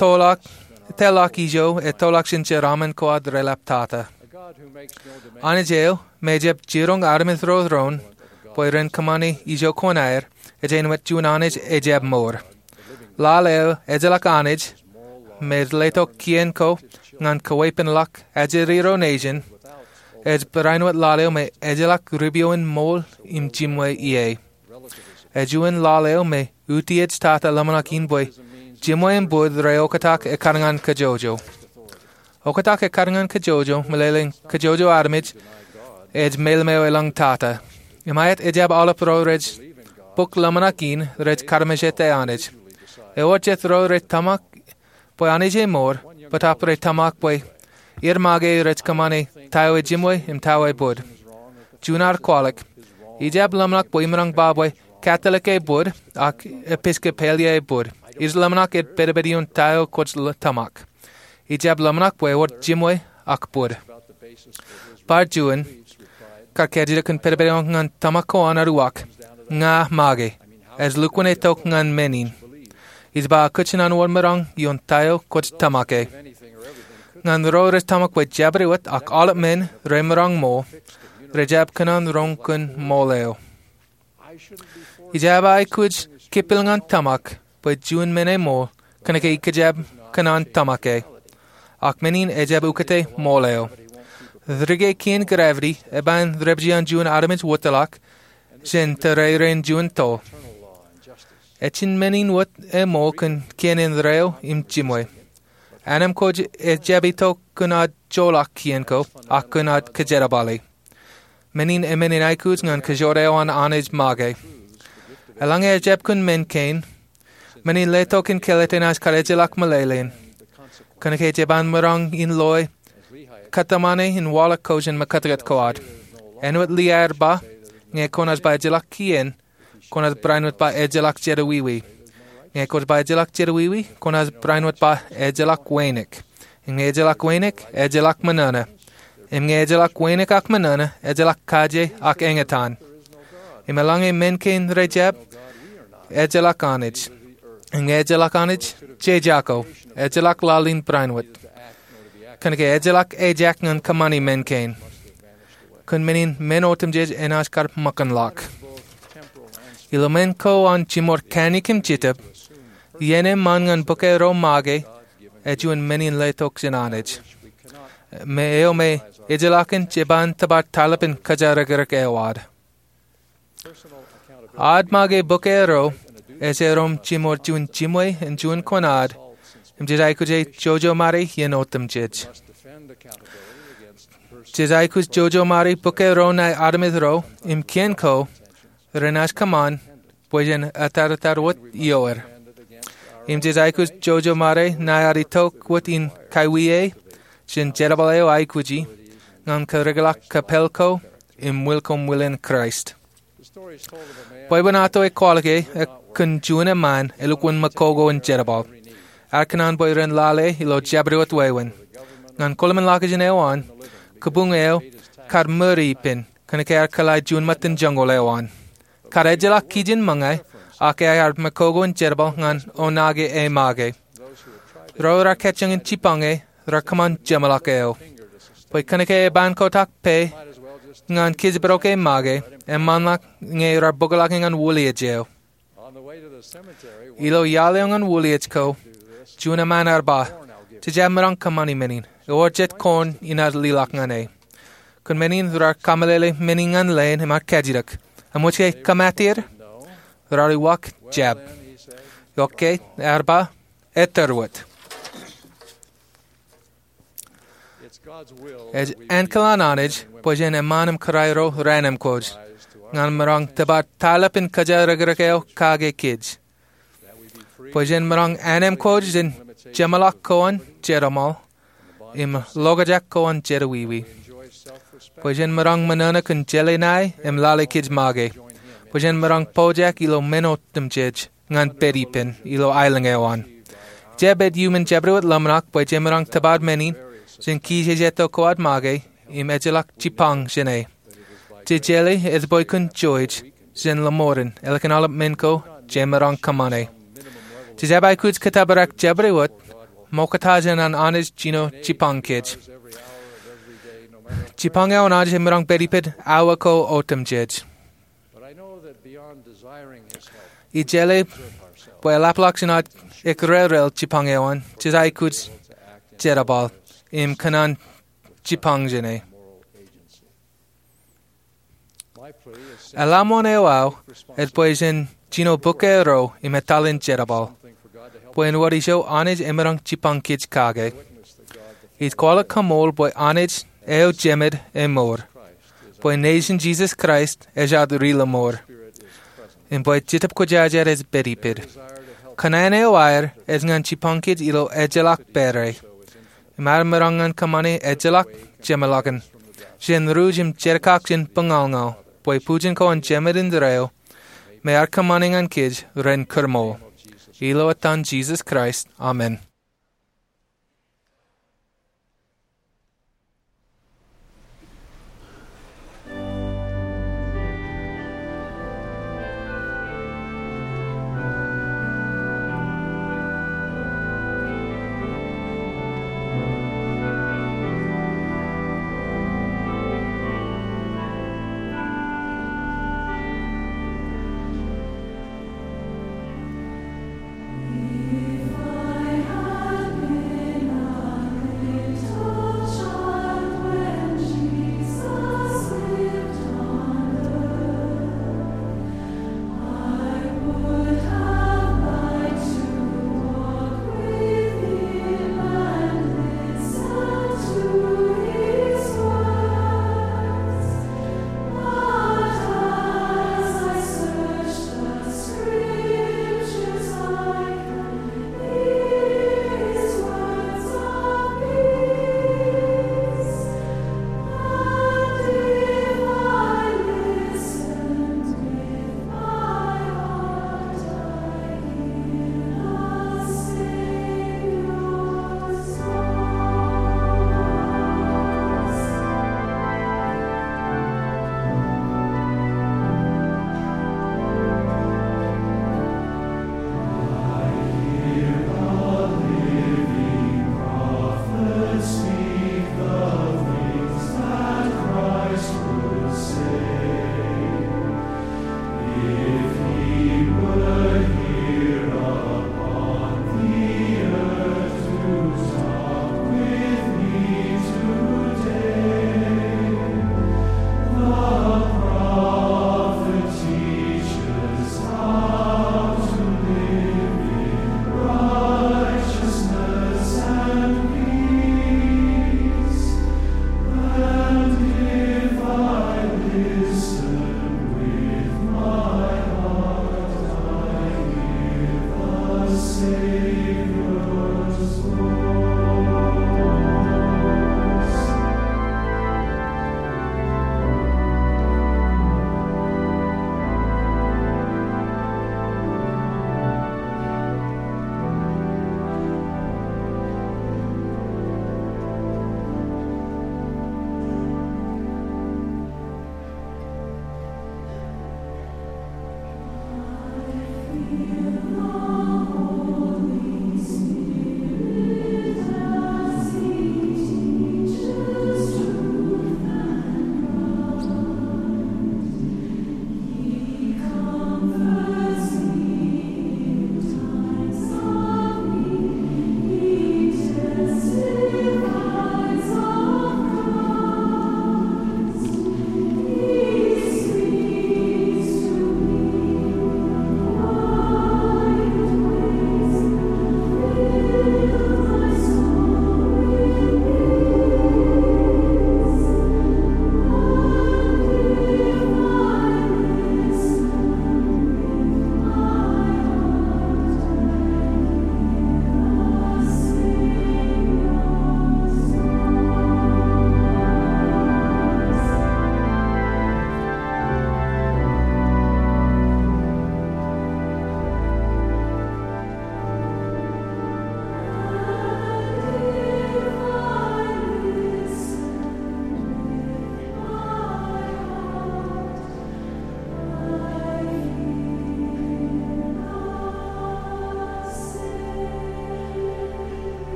tōlḷọk, tōlḷọk ijo etōlḷọk jān jeraaṃṃan ko ad relap tata. Anij eo me ejjab jiroñ armej ro doon bwe ren kōṃṃane ijo ko an aer, ej āinwōt juon anij ejjab mour. Lale eo ejjeḷọk anij me ej letok kien ko ñan kaweeppānḷọk ajri ro nejin, ej barāinwōt lale eo me ejjeḷọk ripio in ṃool im jimwe ie. Ej juon lale eo me utiej tata ḷōmṇak in bwe jimwe im bōd reoktak ekkar ñan kajjojo. Oktak ekkar ñan kajjojo meḷeḷe in kajjojo armej ej meḷeḷe eo elōñ tata. Im aet ejjab aolep ro rej bōk ḷōmṇak in rej karamejete Anij. Ewōr jet ro rej tōmak bwe Anij e mour, bōtaab rej tōmak bwe er make rej kōṃṃane ta eo ejimwe im ta eo ebōd. Juon ear kwaḷọk, ijjab ḷōmṇak bwe imaroñ ba bwe Katolik ebōd ak Episkopal ebōd. Ij ḷōmṇak ej pedped ioon ta eo kwōj tōmak. Ijjab ḷōmṇak bwe ewōr jimwe ak bōd. Bar juon, kar kajjitōk kōn pedped eo ñan tōmak ko an ear uwaak, ña make. Ej lukkuun itok ñan men in. Ij ba kōj kōnnaan wōnṃaanḷọk ioon ta eo kwōj tōmake. Ñan ro rej tōmak bwe jabdewōt ak aolep men remaroñ ṃool, rejjab kōnnaan roñ kōn ṃool eo. Ijjab aikuj kipil ñan tōmak bwe juon men eṃool kōnke ikijjab kōnnaan tōmake. Ak men in ejjab ukōte ṃool eo. Dike kien gravity eban dāpiji an juon armej wōtlọk jān tōrerein juon toḷ. Ejin men in wōt eo ṃool kōn kien in reo im jimwe. Ānamkwōj ejjab itok kōn ad joḷọk kien ko, ak kōn ad kōjerbale. Men in emenin aikuj ñan kōjro eo an Anij make. Eḷaññe ejjab kōn men kein, men in letok in kāālōt enaaj kar ejjeḷọk meḷeḷein. Kōnke jeban maroñ in loe kōtmāne in waḷọk ko jān mekōtkōt ko ad. Āinwōt Liaer ba, ñe koṇaaj ba ejjeḷọk kien, koṇaaj barāinwōt ba ejjeḷọk jerọwiwi. Ñe kwōj ba ejjeḷọk jerọwiwi, koṇaaj barāinwōt ba ejjeḷọk wānōk. Im ñe ejjeḷọk wānōk, ejjeḷọk ṃōṇōṇō. Im ñe ejjeḷọk wānōk ak ṃōṇōṇō, ejjeḷọk kaje ak eñtaan. Im eḷaññe men kein rejjab, ejjeḷọk Anij. Im ñe ejjeḷọk Anij, jejako, ejjeḷọk laḷ in barāinwōt. Kōnke ejjeḷọk ejak ñan kōṃṃani men kein. Kōn men in men otemjej enaaj kar ṃōkanḷọk. Ilo men ko an jiṃor kanooj im jitōb, iien eṃṃan ñan bōk eo make, ej juon men in letok jān Anij. Im eo me ejjeḷọkin jeban tōpar taḷapin kōjatdikdik eo ad. Ad make bōk eo ej erom jiṃor juon jimwe im juon koṇaad, im jej aikuj e jojomari iien otemjej. Jej aikuj jojomari bōk eo ṇae armej ro im kien ko renaaj kōṃṃan bwe jen etatatwōt ioer. Im jej aikuj jojomari ṇae ad itok wōt in kaiwiie jān jerbal eo aikuji ñan kōrreḷọk kōpel ko im ṃwil ko ṃwilen Kraist. Bwebwenato eo kwaḷọk e kōn juon eṃṃaan elukkuun mekoko in jerbal. Ear kōṇaan bwe ren lale ilo jabdewōt wāween. Ñan kōḷmānḷọkjeṇ eo an, kōbuñ eo kar ṃōri ippān, kōnke ear kōḷḷā juon ṃōttan joñoul eo an. Kar ejjeḷọk kijin ṃōñā, ak ear mekoko in jerbal ñan oṇaake e make. Ro raar kajjioñ in jipañ e, raar kōṃṃan jeṃḷọk eo. Bwe kōnke eban kotak pā ñan kijbrok e make, eṃṃanḷọk ñe raar bōkḷọk e ñan wūliej eo. Ilo iaḷ eo ñan wūliej ko, juon eṃṃaan ear ba, jej maroñ kōṃṃani men in, ewōr jet koṇ in ear liḷọk ñan e. Kōn men in raar kameḷeḷe men in ñan leen im ear kajjitōk, eṃōj ke kōṃatier? Raar uwaak jab. Eo ke, ear ba, ettōr wōt. Ej ankilaan Anij bwe jen eṃṃaan im kōrā ro reanamkwōj ñan maroñ tōpar taḷapin kōjatdikdik eo kake kōj. Bwe jen maroñ anamkwōj jān jeṃḷọk ko an jeroṃaḷ im ḷokjak ko an jerọwiwi. Bwe jen maroñ ṃōṇōṇō kōn jeḷā ṇae im lale kōj make. Bwe jen maroñ pojak ilo men otemjej ñan pād ippān ilo aelōñ eo an. Ij pād iuṃwin jabdewōt ḷōmṇak bwe jemaroñ tōpar men in jān kijejeto ko ad make im ejjeḷọk jipañ jān e. Jej jeḷā ej bwe kōn jouj jān lọmọọren ālikin aolep men ko jemaroñ kōṃṃane. Jej aikuj kōttōpar jabdewōt ṃokta jān an Anij jino jipañ kōj. Jipañ eo an Anij emaroñ pād ippād awa ko otemjej. Ij jeḷā bwe eḷapḷọk jān ad ekrerel jipañ eo an, jej aikuj jerbal im kōṇaan jipañ jān e. Eḷaṃoṇ eo aō ej bwe jen jino bōk eo ro im etal in jerbal, bwe en wōr ijo Anij emaroñ jipañ kōj kake. Ij kwaḷọk kaṃool bwe Anij eo Jemād emour, bwe nejin Jisōs Kraist ej ad ri-lọmọọr, im bwe Jetōb Kwōjarjar ej pād ippād. Kōṇaan eo aer ej ñan jipañ kōj ilo ejjeḷọk pād e. Im ad maroñ ñan kōṃṃane ejjeḷọk jeṃḷọkin jān ruj im jerkak jān buñalñal, bwe bujen ko an Jemād indeeo me ear kōṃṃane ñan kōj ren kūrmool. Ilo etan Jisōs Kraist, amen.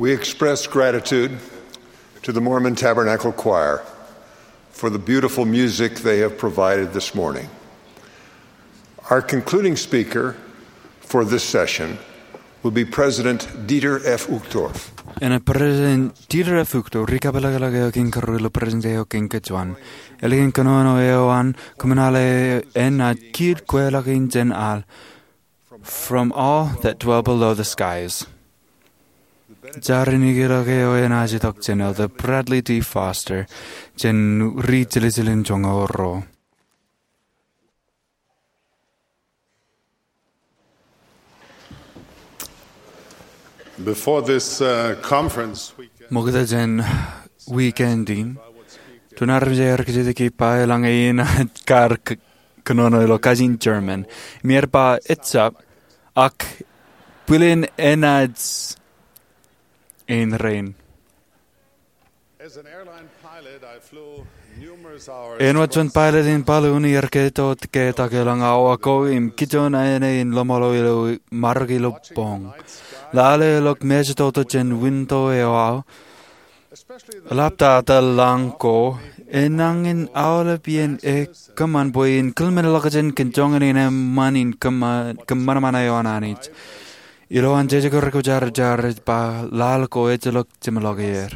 We express gratitude to the Mormon Tabernacle Choir for the beautiful music they have provided this morning. Our concluding speaker for this session will be President Dieter F. Uchtdorf. Enaaj President Dieter F. Uchtdorf, ri kapeḷḷọk eo kein karuo ilo President eo kein kōjuon. Ālikin kōnono eo an, kōṃṃan aolep enaaj kiil kweilọk in jān al, From All That Dwell Below the Skies. Jar in ikōḷọk eo enaaj itok jān Elder Bradley D. Foster, jān ri jeljeḷ in joñoul ruo. Before this, uh, conference weekend, Ṃokta jān weekend in, juon armej ear kajjitōk ippa eḷaññe inaaj kar k-, kōnono ilo kajin German. Im ear ba ejjab, ak bwilin enaaj ein rein. As an airline pilot, I flew numerous hours. Āinwōt juon pilot in balloon, iar keto ketak elōñ awa ko im kijoon āne in loṃaḷo ilo marok ilo boñ. Lale ḷọk mejatoto jān winto eo aō, eḷaptata lañ ko, enañin aolep iien ekōṃṃan bwe in kōḷmenḷọkjeṇ kōn joñan in eṃṃan in kōṃ-, kōṃanṃan eo an Anij. Ilowaan jeje ko rekwojarjar ej ba laḷ ko ejjeḷọk jeṃḷọk er.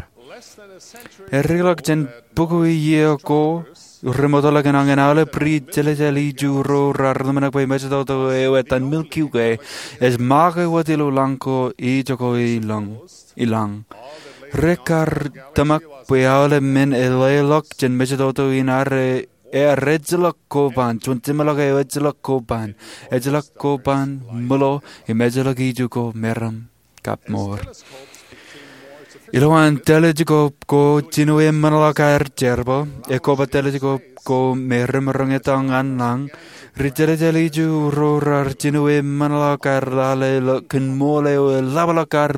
Ear ikōḷọk jān bukwō iiō ko, remootḷọk enañin aolep ri jeljeḷ iju ro raar ḷōmṇak bwe mejatoto eo etan Milky Way ej make wōt ilo lañ ko ijoko ilañ, ilañ. Rekar tōmak bwe aolep men eḷḷọk jān mejatoto in ear, ear ejjeḷọk koban, juon jeṃḷọk eo ejjeḷọk koban, ejjeḷọk koban ṃōḷo, im ejjeḷọk iju ko meram kab mour. Ilowaan telescope ko jinoe eṃṃanḷọk aer jerbal, ekkoba telescope ko me remaroñ etal ñan lañ, ri jeljeḷ iju ro raar jinoe eṃṃanḷọk aer lale ḷọk kōn ṃool eo eḷapḷọk aer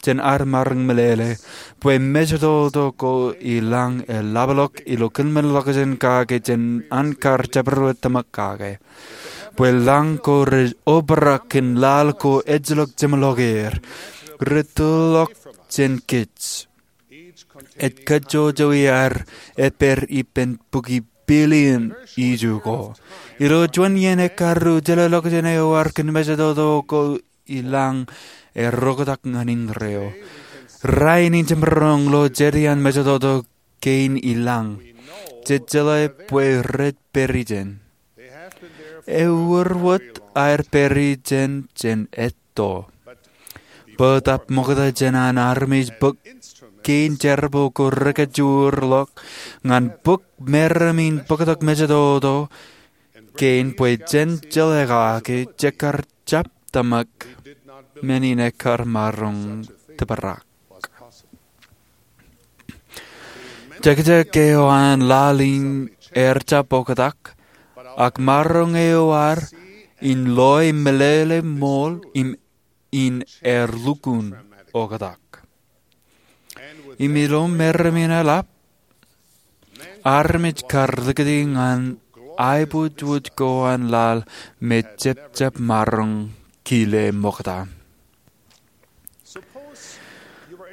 jān ad maroñ meḷeḷe, bwe mejatoto ko ilañ eḷapḷọk ilo kōḷmenḷọkjeṇ kake jān an kar jabdewōt tōmak kake. Bwe lañ ko rej obrak kōn laḷ ko ejjeḷọk jeṃḷọk er, retōḷọk jān kōj. Ej kajjojo iaer epād ippān bukwi billion iju ko. Ilo juon iien ekkaru, jelōḷọkjeṇ eo ear kōn mejatoto ko ilañ eroktak ñan indeeo. Rainin jemaroñ lo jet iaan mejatoto kein ilañ. Jejeḷā bwe rej pād ijin. Ewōr wōt aer pād ijin jān etto. Bōtab ṃokta jān an armej bōk kein jerbal ko rekajoor ḷọk ñan bōk meram in bōktok mejatoto kein bwe jen jeḷā kake jekar jab tōmak men in ekar maroñ tōprak. Jekjek eo an laḷ in ear jab oktak, ak maroñ eo ad in loe meḷeḷe ṃool im in ear lukkuun oktak. Im ilo meram in eḷap, armej kar likūti ñan aiboojoj ko an laḷ me jepjep maroñ kile ṃokta.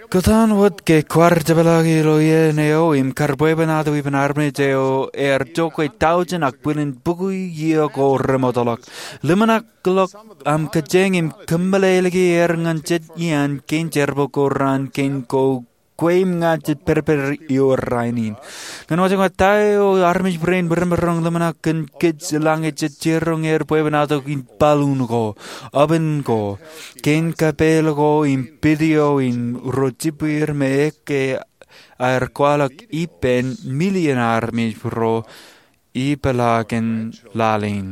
Kōtaan wōt ke kwaar jepḷaak ilo iien eo im kar bwebwenato ippān armej eo ear jokwe tọujin ak bwilin bukwō iiō ko remootḷọk. Ḷōmṇak ḷọk aṃ kōjeañ im kōmeḷeḷeiki er ñan jet iaan kein jerbal ko raan kein ko kwe im ña jet pedped ioon rainin. Ñan wōj ñan ta eo armej rein remaroñ ḷōmṇak kōn kōj eḷaññe jej jiroñ er bwebwenato in balloon ko, oven ko, kein kapeel ko im video in ro jibwier me ekkā aer kwaḷọk ippān million armej ro ipḷaakin laḷ in.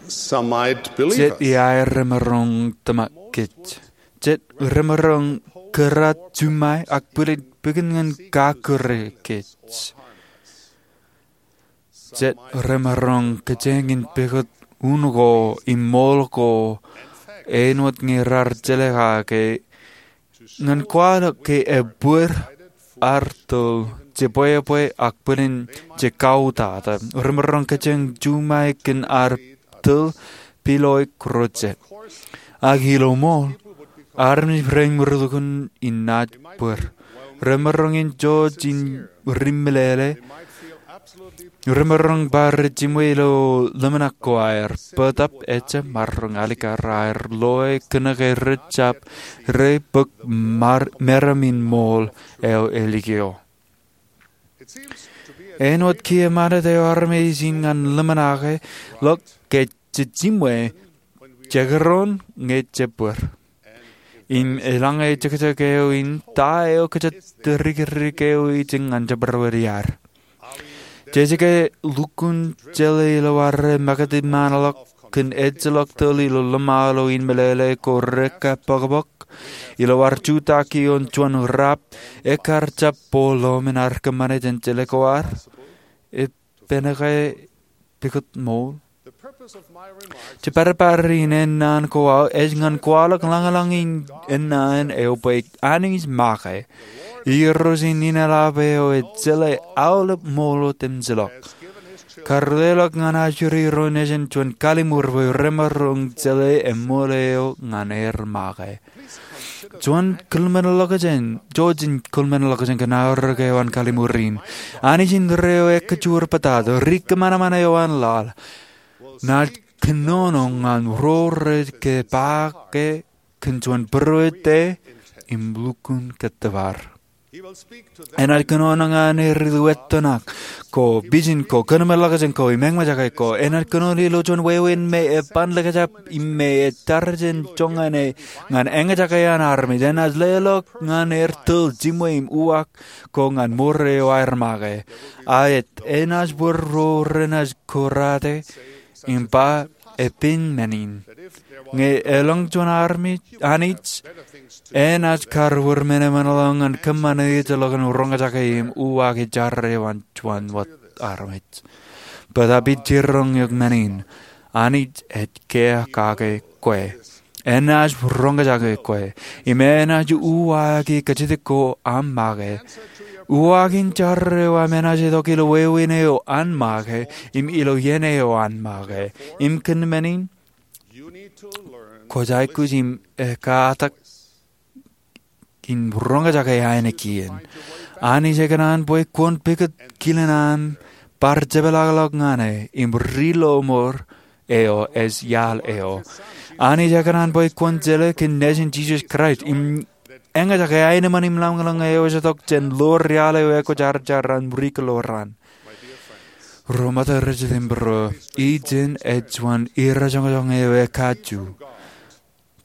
Some might believe us. Jet iaer remaroñ tōmak kōj. Jet remaroñ kōrā juṃae ak bwilin pikin ñan kakkure kōj. Jet remaroñ kōjeañ in pukot un ko im ṃool ko āinwōt ñe raar jeḷā kake ñan kwaḷọk ke ebōd ad tōl jebwebwe ak bwilin jekautata. Remaroñ kōjeañ juṃae kōn ad tōl piloik rojet. Ak ilo ṃool, armej rein rej lukkuun in naaj bōd. Remaroñ in jouj im ri meḷeḷe. Remaroñ bar jiṃwe ilo ḷōmṇak ko aer, bōtōb ejab maroñ alikkar aer loe kōnke rej jab, rej bōk meram in ṃool eo elikio. Āinwōt kiiō ṃanit eo armej in ñan ḷōmṇake ḷọk ke jej jiṃwe, jekdọọn ñe jej bōd. Im eḷaññe ejekjek eo in, ta eo kōjatdikdik eo ej ñan jabdewōt iaad? Jej ke lukkuun jeḷā ilo ad rej makūtḷọk kōn ejjeḷọk tōl ilo ḷōṃaro in meḷeḷe ko rekapokpok, ilo ad jutak ioon juon rap, ekkar jab bōk ḷōmṇak kōṃṃane jān jeḷā ko ad? Epen ke pukot ṃool? Jepārepāri in ennaan ko aō ej ñan kwaḷọk lañlōñ in ennaan eo bwe Anij make. Irooj in inaḷap eo ej jeḷā aolep ṃool otemjej ḷọk. Karuleḷọk ñan ajri ro nejin juon kalliṃur bwe remaroñ jeḷā eṃṃool eo ñan er make. Juon kōḷmenḷọkjeṇ, jouj im kōḷmenḷọkjeṇ kōn aorōk eo an kalliṃur in. Anij in reo ekkajur bōtaab, ri kōṃanṃan eo an laḷ, naaj kōnono ñan ro rej ke ba ke kōn juon būruō te im lukkuun kōttōpar. Enaaj kōnono ñan er ilo ettoṇak ko, vision ko, kōḷmenḷọkjeṇ ko, im eñjake ko. Enaaj kōnono ilo juon wāween me eban likjab im me ej tarijen joñan e ñan eñjake an armej. Enaaj leḷọk ñan er tōl, jiṃwe im uwaak ko ñan mour eo aer make. A ej, enaaj bōd ro renaaj kōrā te im ba, epen men in. Ñe elōñ juon armej, Anij enaaj kar wōr men eṃṃanḷọk ñan kōṃṃane ejjeḷọk in roñjake im uwaak jar eo an juon wōt armej. Bōtaab ij jiroñ eok men in, Anij ej kiiō kake kwe. Enaaj roñjake kwe. Im enaaj uwaaki kajjitōk ko aṃ make. Uwaak in jar eo aṃ enaaj itok ilo wāween eo an make, im ilo iien eo an make. Im kōn men in, kwōj aikuj im ekatak in roñjake ainikien. Anij ekōṇaan bwe kwōn pukot kilen an bar jepḷaakḷọk ñan e, im ri lọmọọr eo ej iaḷ eo. Anij ekōṇaan bwe kwōn jeḷā kōn Nejin Jisōs Kraist, im eñjake aenōṃṃan im lañlōñ eo ej itok jān ḷoor iaḷ eo ekwōjarjar an ri kōḷoran. Ro ṃōttan rej jitōnbōro, ijin ej juon irrajoñjoñ eo ekajju.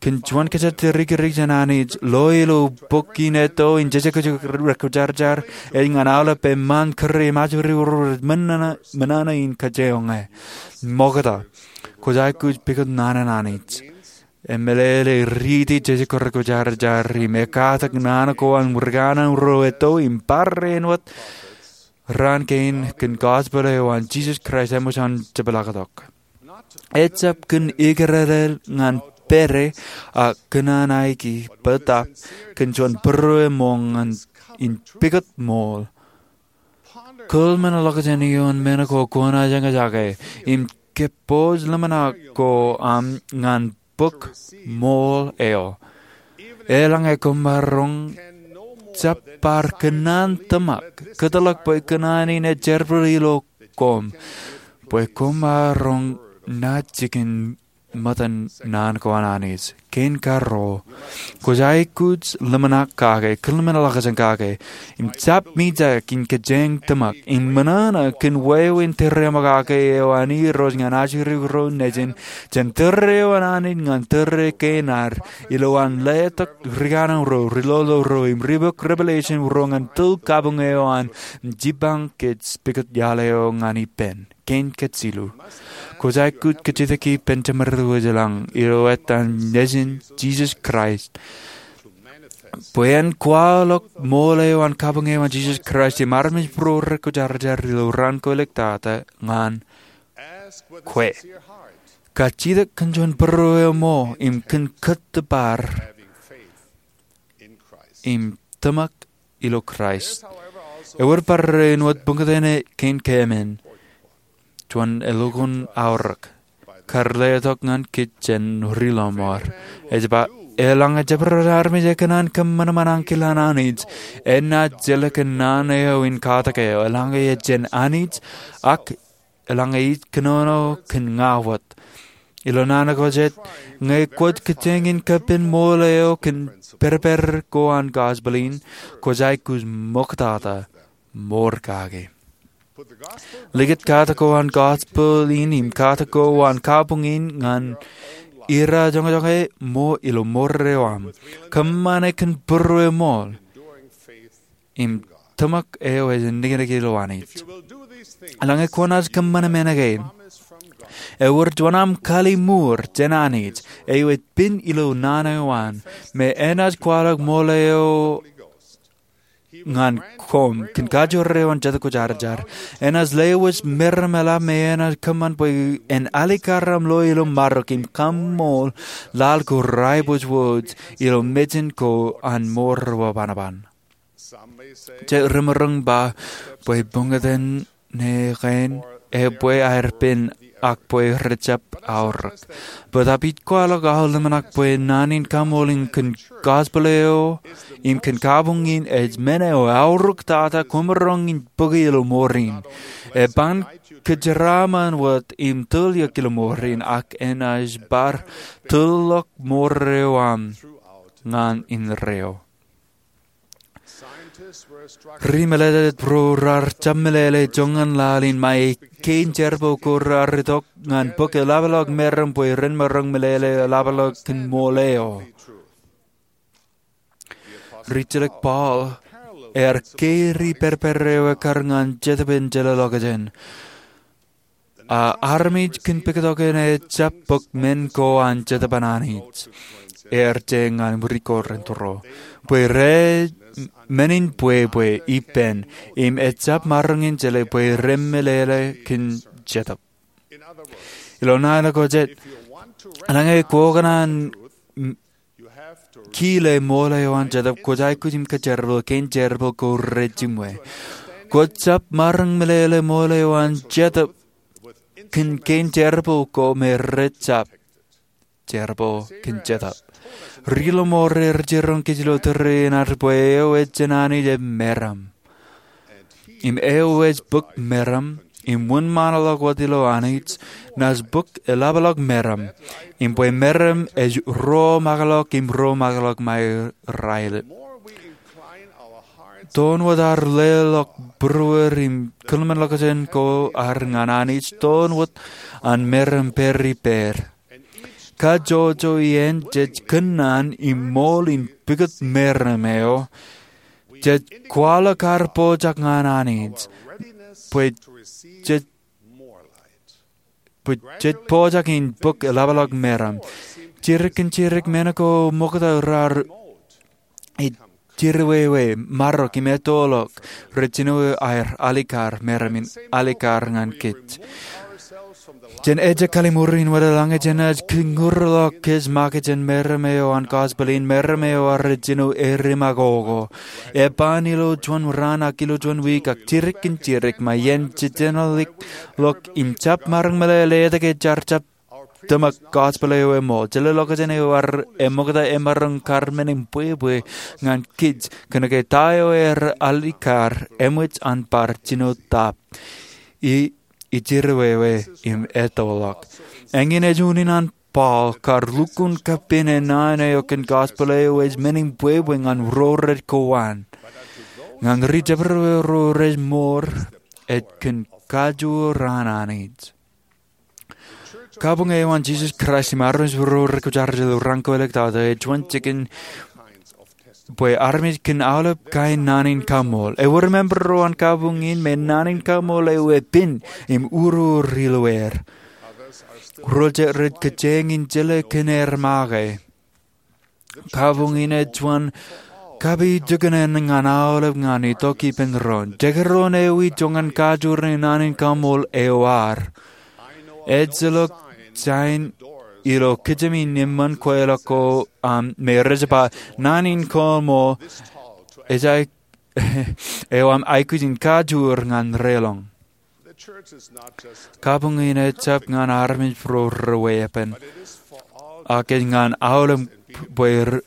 Kōn juon kōjatdikdik jān Anij, lo ilo bok in etto in Jejekjek Rekwōjarjar, ej ñan aolep eṃṃaan, kōrā im ajri ro rej ṃōṇōṇō in kōjeañ e. Ṃokta, kwōj aikuj pukot naan an Anij. Emeḷeḷe riiti Jejekjek Rekwōjarjar im ekatak naan ko an rikōṇaan ro etto im bar āinwōt raan kein kōn gospel eo an Jisōs Kraist eṃōj an jepḷaaktok. Ejjab kōn ikōrālel ñan pere, a kōṇaan aiki bōtaab kōn juon būruō eṃṃan in pukot ṃool. Kōḷmenḷọkjeṇ ioon men ko kwōnaaj eñjake, im kōpooj ḷōmṇak ko aṃ ñan bok ṃool eo. Eḷaññe komaroñ, jab bar kōṇaan tōmak, kōtḷọk bwe kōṇaan in ej jerbal ilo koṃ, bwe komaroñ naaj jikin ṃōttan naan ko an Anij. Kein karuo, kwōj aikuj ḷōmṇak kake, kōḷmenḷọkjeṇ kake, im jab mijak in kōjeañ tōmak, im ṃōṇōṇō kōn wāween tōreaṃo kake eo an Irooj ñan ajri ro nejin, jān tōre eo an Anij ñan tōre kein ad, ilo an letok rikōṇaan ro, ri lolo ro, im ri bok revelation ro ñan tōl kabuñ eo an, im jipañ kōj pukot iaḷ eo ñan ippān. Kein kajilu, kwōj aikuj kajjitōk ippān jemed wōj ilañ ilo etan Nejin Jisōs Kraist, bwe en kwaḷọk ṃool eo an kabuñ eo an Jisōs Kraist im armej būruō rekwōjarjar ilo raan ko iliktata ñan kwe. Kajjitōk kōn juon būruō eṃṃan im kōn kōttōpar im tōmak ilo Kraist. Ewōr barāinwōt buñtōn kein keemān, juon elukkuun aorōk. kar letok ñan kōj jān ri lọmọọr. Ej ba, eḷaññe jabdewōt armej ekōṇaan kōṃanṃan ankilaaṇ Anij, enaaj jelōk naan eo in katak eō. Eḷaññe ej jān Anij, ak eḷaññe ij kōnono kōn ña wōt. Ilo naan ko jet, ñe kwōj kōjeañ in kapen ṃool eo kōn pād pād ko an gospel in, kwōj aikuj ṃoktata ṃoor kake. Likūt katak ko an gospel in im katak ko an kabuñ in ñan irajoñojoñe ṃool ilo ṃoor eo aṃ. Kōṃṃane kōn būrueṃool im tōmak eo ej niknik ilo Anij. Eḷaññe kwōnaaj kōṃṃan men kein, ewōr juon aṃ kalimuur jān Anij eo ej pin ilo naan eo an, me enaaj kwaḷọk ṃool eo ñan koṃ kōn kajoor eo an Jetōb Kwōjarjar. Enaaj lewōj meram eḷap me enaaj kōṃṃan bwe en alikkar aṃ lo ilo marok im kaṃṃool laḷ ko raibōjwōj ilo mejān ko an ṃoor wōt banoban. Jet remaroñ ba bwe buñtōn ne kein ebwe aer pen ak bwe rejjab aorōk. Bōtab ij kwaḷọk aō ḷōmṇak bwe naan in kaṃṃool in kōn gospel eo im kōn kabuñ in ej men eo eaorōk tata kwōmaroñ in bōki ilo ṃoor in. Eban kōjeraaṃṃan wōt im tōl eok ilo ṃoor in, ak enaaj bar tōl ḷọk ṃoor eo aṃ ñan indeeo. Ri-meḷeḷe ro raar jab meḷeḷe joñan laḷ in ṃae kein jerbal ko raar itok ñan bōk eḷapḷọk meram bwe ren maroñ meḷeḷe eḷapḷọk kōn ṃool eo. Rijjelōk Paul ear keri pād pād eo ekkar ñan Jetōb in Jeḷā ḷọkjeṇ. A armej kōn pāktok eṇ ejjab bōk men ko an Jetōb an Anij. Ear je ñan ri Korint ro. Bwe rej men in bwebwe ippān, im ejjab maroñ in jeḷā bwe remeḷeḷe kōn Jetōb. Ilo naan ko jet, eḷaññe kwō kōṇaan kile ṃool eo an Jetōb, kwōj aikuj im kōjerbal kein jerbal ko rejiṃwe. Kwōj jab maroñ meḷeḷe ṃool eo an Jetōb kōn kein jerbal ko me rejjab jerbal kōn Jetōb. Ri lọmọọr rej jiroñ kōj ilo tōre in ad bwe eo ej jān Anij ej meram. Im eo ej bōk meram im wūnṃaanḷọk wōt ilo Anij, naaj bōk eḷapḷọk meram. Im bwe meram ej romaakḷọk im romaakḷọk ṃae raelep. Toon wōt ad leḷọk būruod im kōḷmānḷọkjeṇ ko ad ñan Anij, toon wōt an meram pād ippād. Kajjojo iien jej kōnnaan im ṃool in pukot meram eo, jej kwaḷọk ad pojak ñan Anij bwe jej, bwe jej pojak in bōk eḷapḷọk meram. Jidik kōn jidik men ko ṃokta raar ej jiriwewe, marok im ettoḷọk rej jino aer alikkar meram in alikkar ñan kōj. Jān ejja kalliṃur in wōt, eḷaññe jenaaj kōñurḷọk kōj make jān meram eo an gospel in, meram eo ear jino eddimako ko, eban ilo juon raan ak ilo juon wiik ak jidik kōn jidik, ṃae iien jejeḷā ḷọk im jab maroñ meḷeḷe etke jaar jab tōmak gospel eo eṃool. Jeḷā ḷọkjeṇ eo ear eṃokta emaroñ kar men in bwebwe ñan kōj kōnke ta eo ear alikkar eṃōj an bar jino tap. I, ij jiriwewe im ettoḷọk. Eñin ej unin an Paul kar lukkuun kappān naan eo kōn gospel eo ej men in bwebwe ñan ro rej kowaan. Ñan ri jabdewōt ro rej ṃool, ej kōn kajoor an Anij. Kabuñ eo an Jisōs Kraist im armej ro rej kwōjarjar ilo raan ko elōñ tata ej juon jikin bwe armej kōn aolep kain naan in kaṃool. Ewōr member ro an kabuñ in me naan in kaṃool eo epin im urur ilo er. Ro jet rej kōjeañ in jeḷā kōn er make. Kabuñ in ej juon kapijukunen ñan aolep ñan itok ippān doon. Jekdọọn eo ij joñan kajoor in naan in kaṃool eo ad. Ejjeḷọk jān ilo kōjām in eṃṃan kweilọk ko aṃ me rej ba naan in kaṃool eo aṃ aikuj in kajoor ñan relōñ. Kabuñ in ejjab ñan armej ro reweeppān, ak ej ñan aolep bwe r-,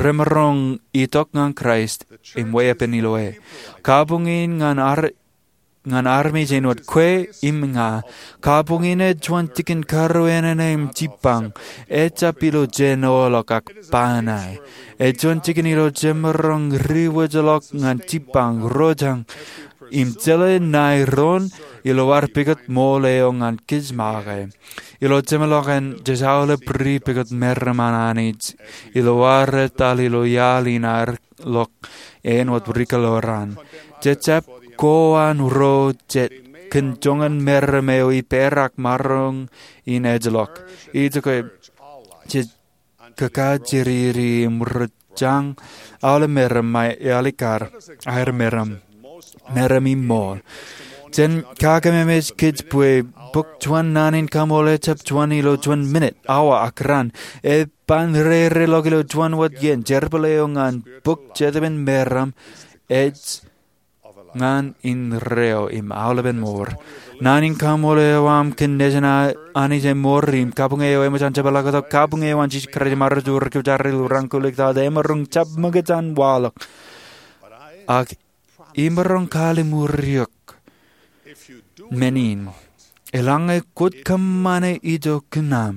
remaroñ itok ñan Kraist im weeppān ilo e. Kabuñ in ñan ar-, ñan armej āinwōt kwe im ña. Kabuñ in ej juon jikin karreo enana im jibbañ, ejjab ilo jān eo ḷọk ak ba ṇae. Ej juon jikin ilo jemaroñ ri wōjḷọk ñan jibbañ, rojañ, im jeḷā ṇae doon ilo ad pukot ṃool eo ñan kōj make. Ilo jemḷọkin jej aolep ri pukot meram an Anij ilo ad etal ilo iaḷ in ad ḷọk āinwōt ri kōḷḷā raṇ. Jej jab ko an ro jet kōn joñan meram eo ippāer ak maroñ in ejjeḷọk. Ijoko jej kōkajeriri im rojañ aolep meram ṃae ealikkar aer meram, meram im ṃool. Jen kakememej kōj bwe bōk juon naan in kaṃool ejjab juon ilo juon minit, awa, ak raan. Eban rereḷọk ilo juon wōt iien. Jerbal eo ñan bōk jetōb in meram ej ñan indeeo im aolepen mour. Naan in kaṃool eo aṃ kōn nejin a-, Anij emour im kabuñe eo eṃōj an jepḷaaktok, kabuñe eo an Jisōs Kraist im armej ro rej kwōjarjar ilo raan kōlukkuun, emaroñ jab ṃōkaj an waḷọk. Ak imaroñ kalliṃur eok men in, eḷaññe kwōj kōṃṃane ijo kōn aṃ,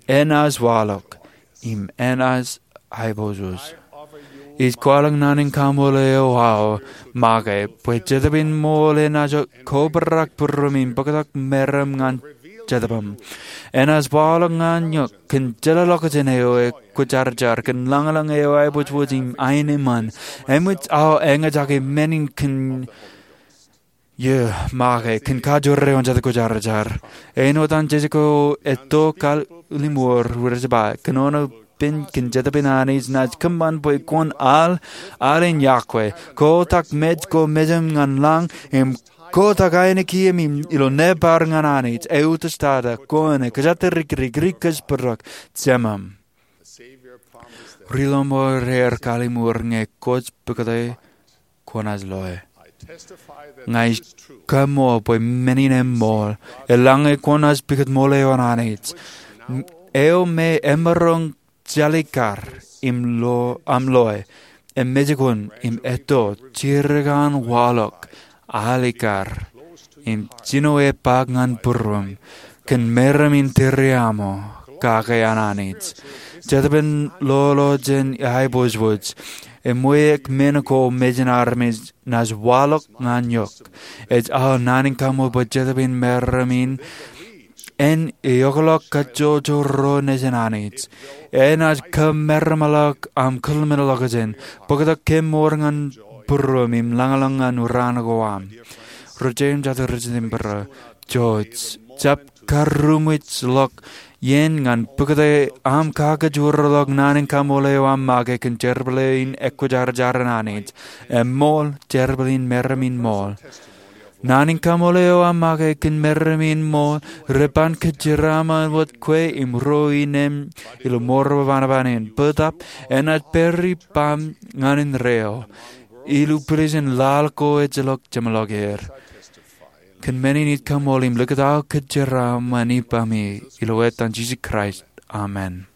enaaj waḷọk im enaaj aiboojoj. Ij kwaḷọk naan in kaṃool eo aō make bwe Jetōb in ṃool enaaj kobrak būruōm im bōktok meram ñan jetōb aṃ. Enaaj waḷọk ñan eok kōn jeḷāḷọkjeṇ eo ekwōjarjar, kōn lañlōñ eo aiboojoj im aenōṃṃan. Eṃōj aō eñjake men in kōn Iọkwe make kōn kajoor eo an Jetōb Kwōjarjar. Āinwōt an Jisōs eo etto kalliṃur rej ba, kōnono pen kōn Jetōb in Anij, naaj kōṃṃan bwe kwōn al, al in iọkwe. Kotak mej ko mejaṃ ñan lañ, im kotak ainikieṃ ilo nōbar ñan Anij. Eutiej tata, koṇe, kōjatdikdik, ri kōjparok, jemām. Ri lọmọọr ear kalliṃur ñe kwōj pukot e kwōnaaj loe. Ña ij kaṃṃoolol bwe men in eṃṃool, eḷaññe kwōnaaj pukot ṃool eo an Anij. Eo me emaroñ jalikkar im lo, aṃ loe, emejkun im etto, jidik an waḷọk, alikkar, im jino epaak ñan būruōm, kōn meram in tūriaṃo, kake an Anij. Jetōb in lolo jān aiboojoj, eṃweik men ko mejān armej naaj waḷọk ñan eok. Ej aō naan in kaṃṃoolol bwe Jetōb in meram in en eokḷọk kajjojo ro nejin Anij. Enaaj kōmeramḷọk aṃ kōḷmānḷọkjeṇ, bōktok kōmour ñan būruōm im lañlōñ ñan raan ko aṃ. Ro jeiū im jatū rej jitōnbōro, jouj, jab karrūṃwijḷọk iien ñan bōktok aṃ kakajoorḷọk naan in kaṃṃool eo aṃ make kōn jerbal in ekwōjarjar an Anij. Eṃṃool, jerbal in meram in ṃool. Naan in kaṃṃool eo aṃ make kōn meram in ṃool, reban kōjeraaṃṃan wōt kwe im ro ineeṃ ilo mour eo banoban in. Bōtab, enaaj pād ippaṃ ñan indeeo, ilo pilij in laḷ ko ejjeḷọk jeṃḷọk er. Kōn men in ij kaṃṃool im likūt aō kōjeraaṃṃan ippaṃi, ilo etan Jisōs Kraist. Amen.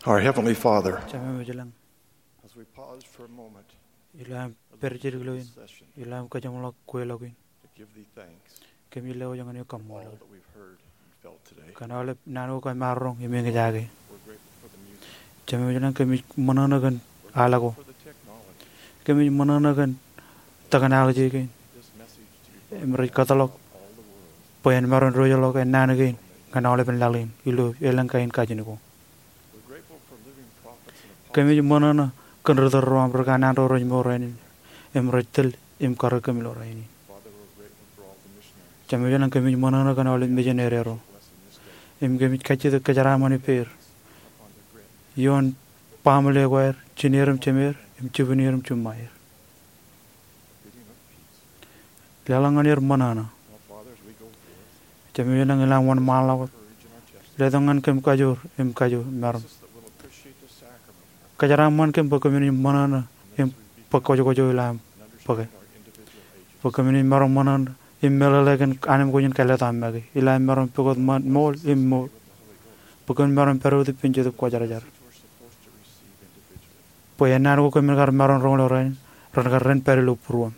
Our Heavenly Father, Jemem ej lañ, as we pause for a moment ilo aṃ pād jidik ilo in, ilo aṃ kajeṃḷọk kweilọk in, to give thee thanks, kōmij lewōj ñan eok kaṃṃoolol all that we've heard and felt today. Kōn aolep naan ko kōm maroñ im eñjake. We're grateful for the music, Jemem ej lañ, kōmij ṃōṇōṇō kōn al ko, for the technology, kōmij ṃōṇōṇō kōn technology kein, this message to be im rej kōtḷọk all the world, bwe en maroñ diwōjḷọk ennaan kein ñan aolepen laḷ in ilo elōñ kain kajin ko. We're grateful for living prophets and apostles. Kōmij ṃōṇōṇō kōn ri tōl ro aṃ, ri kanaan ro rej mour rainin im rej tōl im karōk kōm ilo rainin. Father, we're grateful for all the missionaries. Jemem ej lañ, kōmij ṃōṇōṇō kōn aolep misineri ro. Blessing this day. Im kōmij kajjitōk kōjeraaṃṃan ippāer upon the great ioon baaṃle ko aer, jineer im jemeer, im jibwineer im jiṃṃaer. Leḷọk ñan er ṃōṇōṇō. Jemem ej lañ, ilo aṃ wōnṃaanḷọk wōt, letok ñan kōm kajoor im kajo maroñ. Kōjeraaṃṃan kōm bwe kōmin ṃōṇōṇō im bōk kōjkōjō ilo aṃ bōke, bwe kōmin maroñ ṃōṇōṇō im meḷeḷe kōn anemkwōj in kāālōt aṃ make ilo aṃ maroñ pukot ṃool im ṃool, bwe kōmin maroñ pād wōt ippān Jetōb Kwōjarjar. Bwe ennaan ko kōmin kar maroñ roñ ilo rainin ren kar ren pād ilo būruōṃ.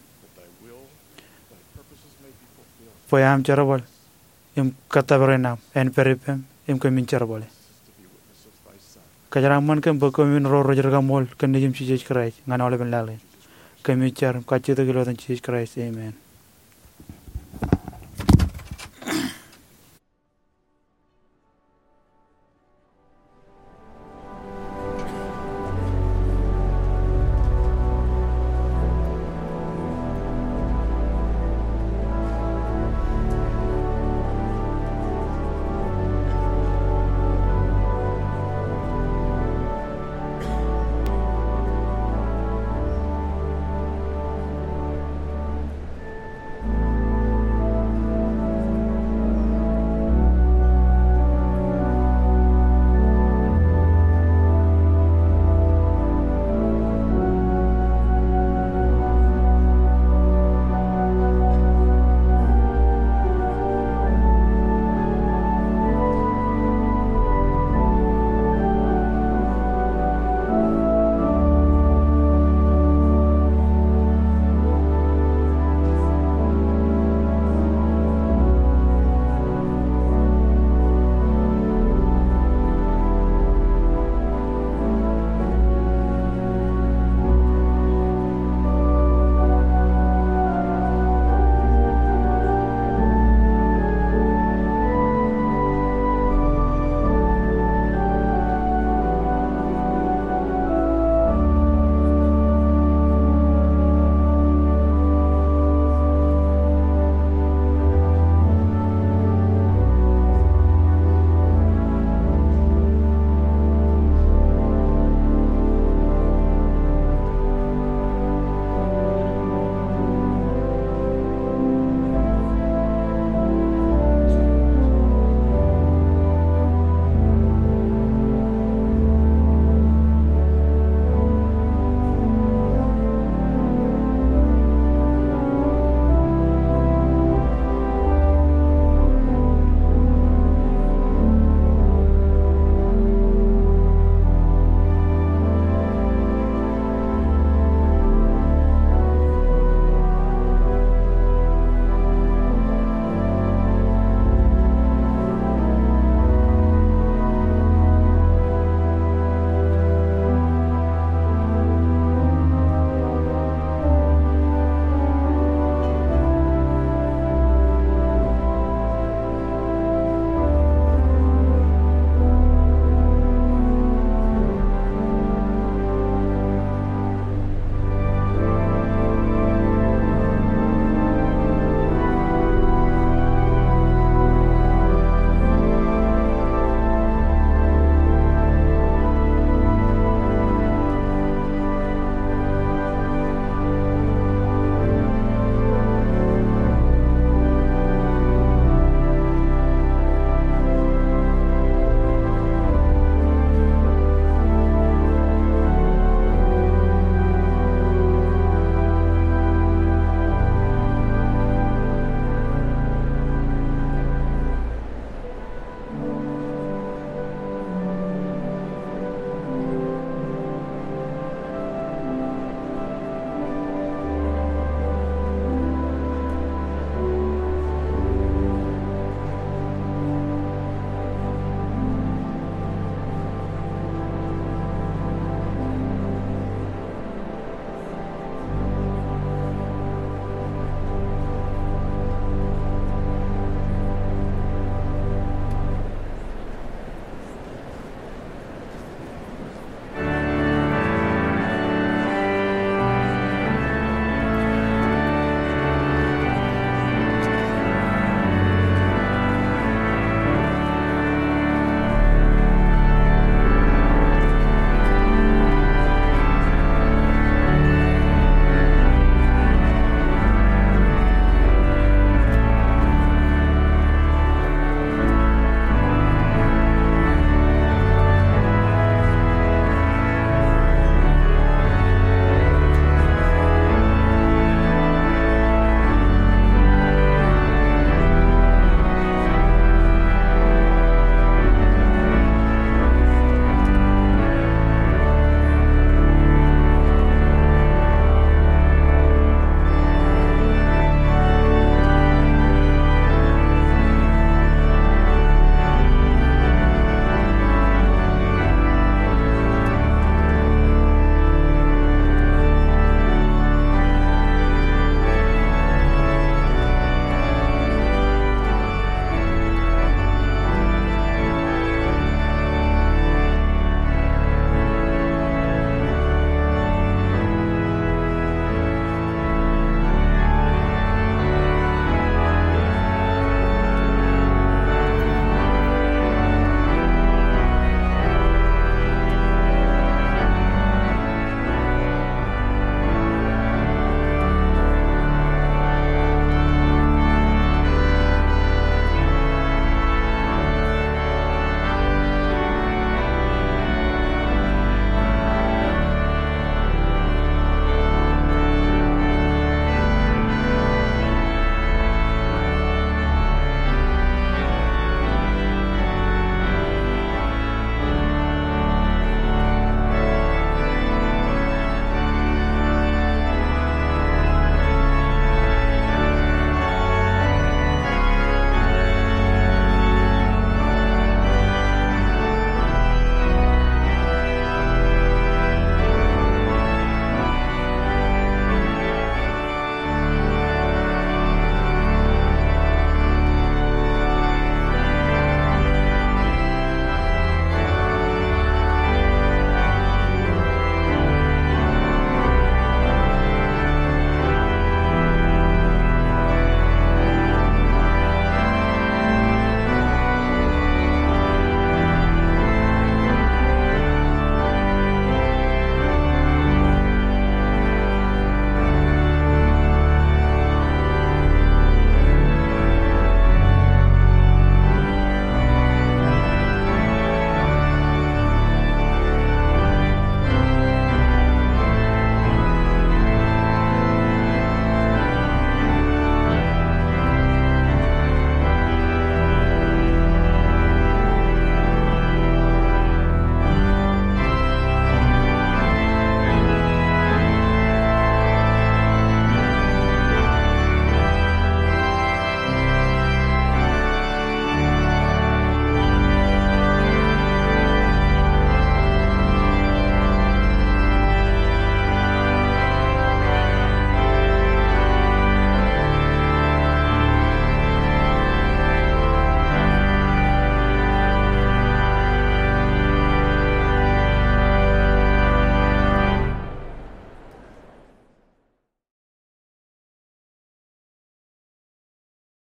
Bwe aṃ jerbal im kōttōpar in aṃ en pād ippām im kōmin jerbale. Kōjeraaṃṃan kōm bwe kōmin ro rej kaṃool kōn Nejiṃ Jisōs Kraist ñan aolepen laḷ in. Kōmij jar im kajjitōk ilo etan Jisōs Kraist, amen.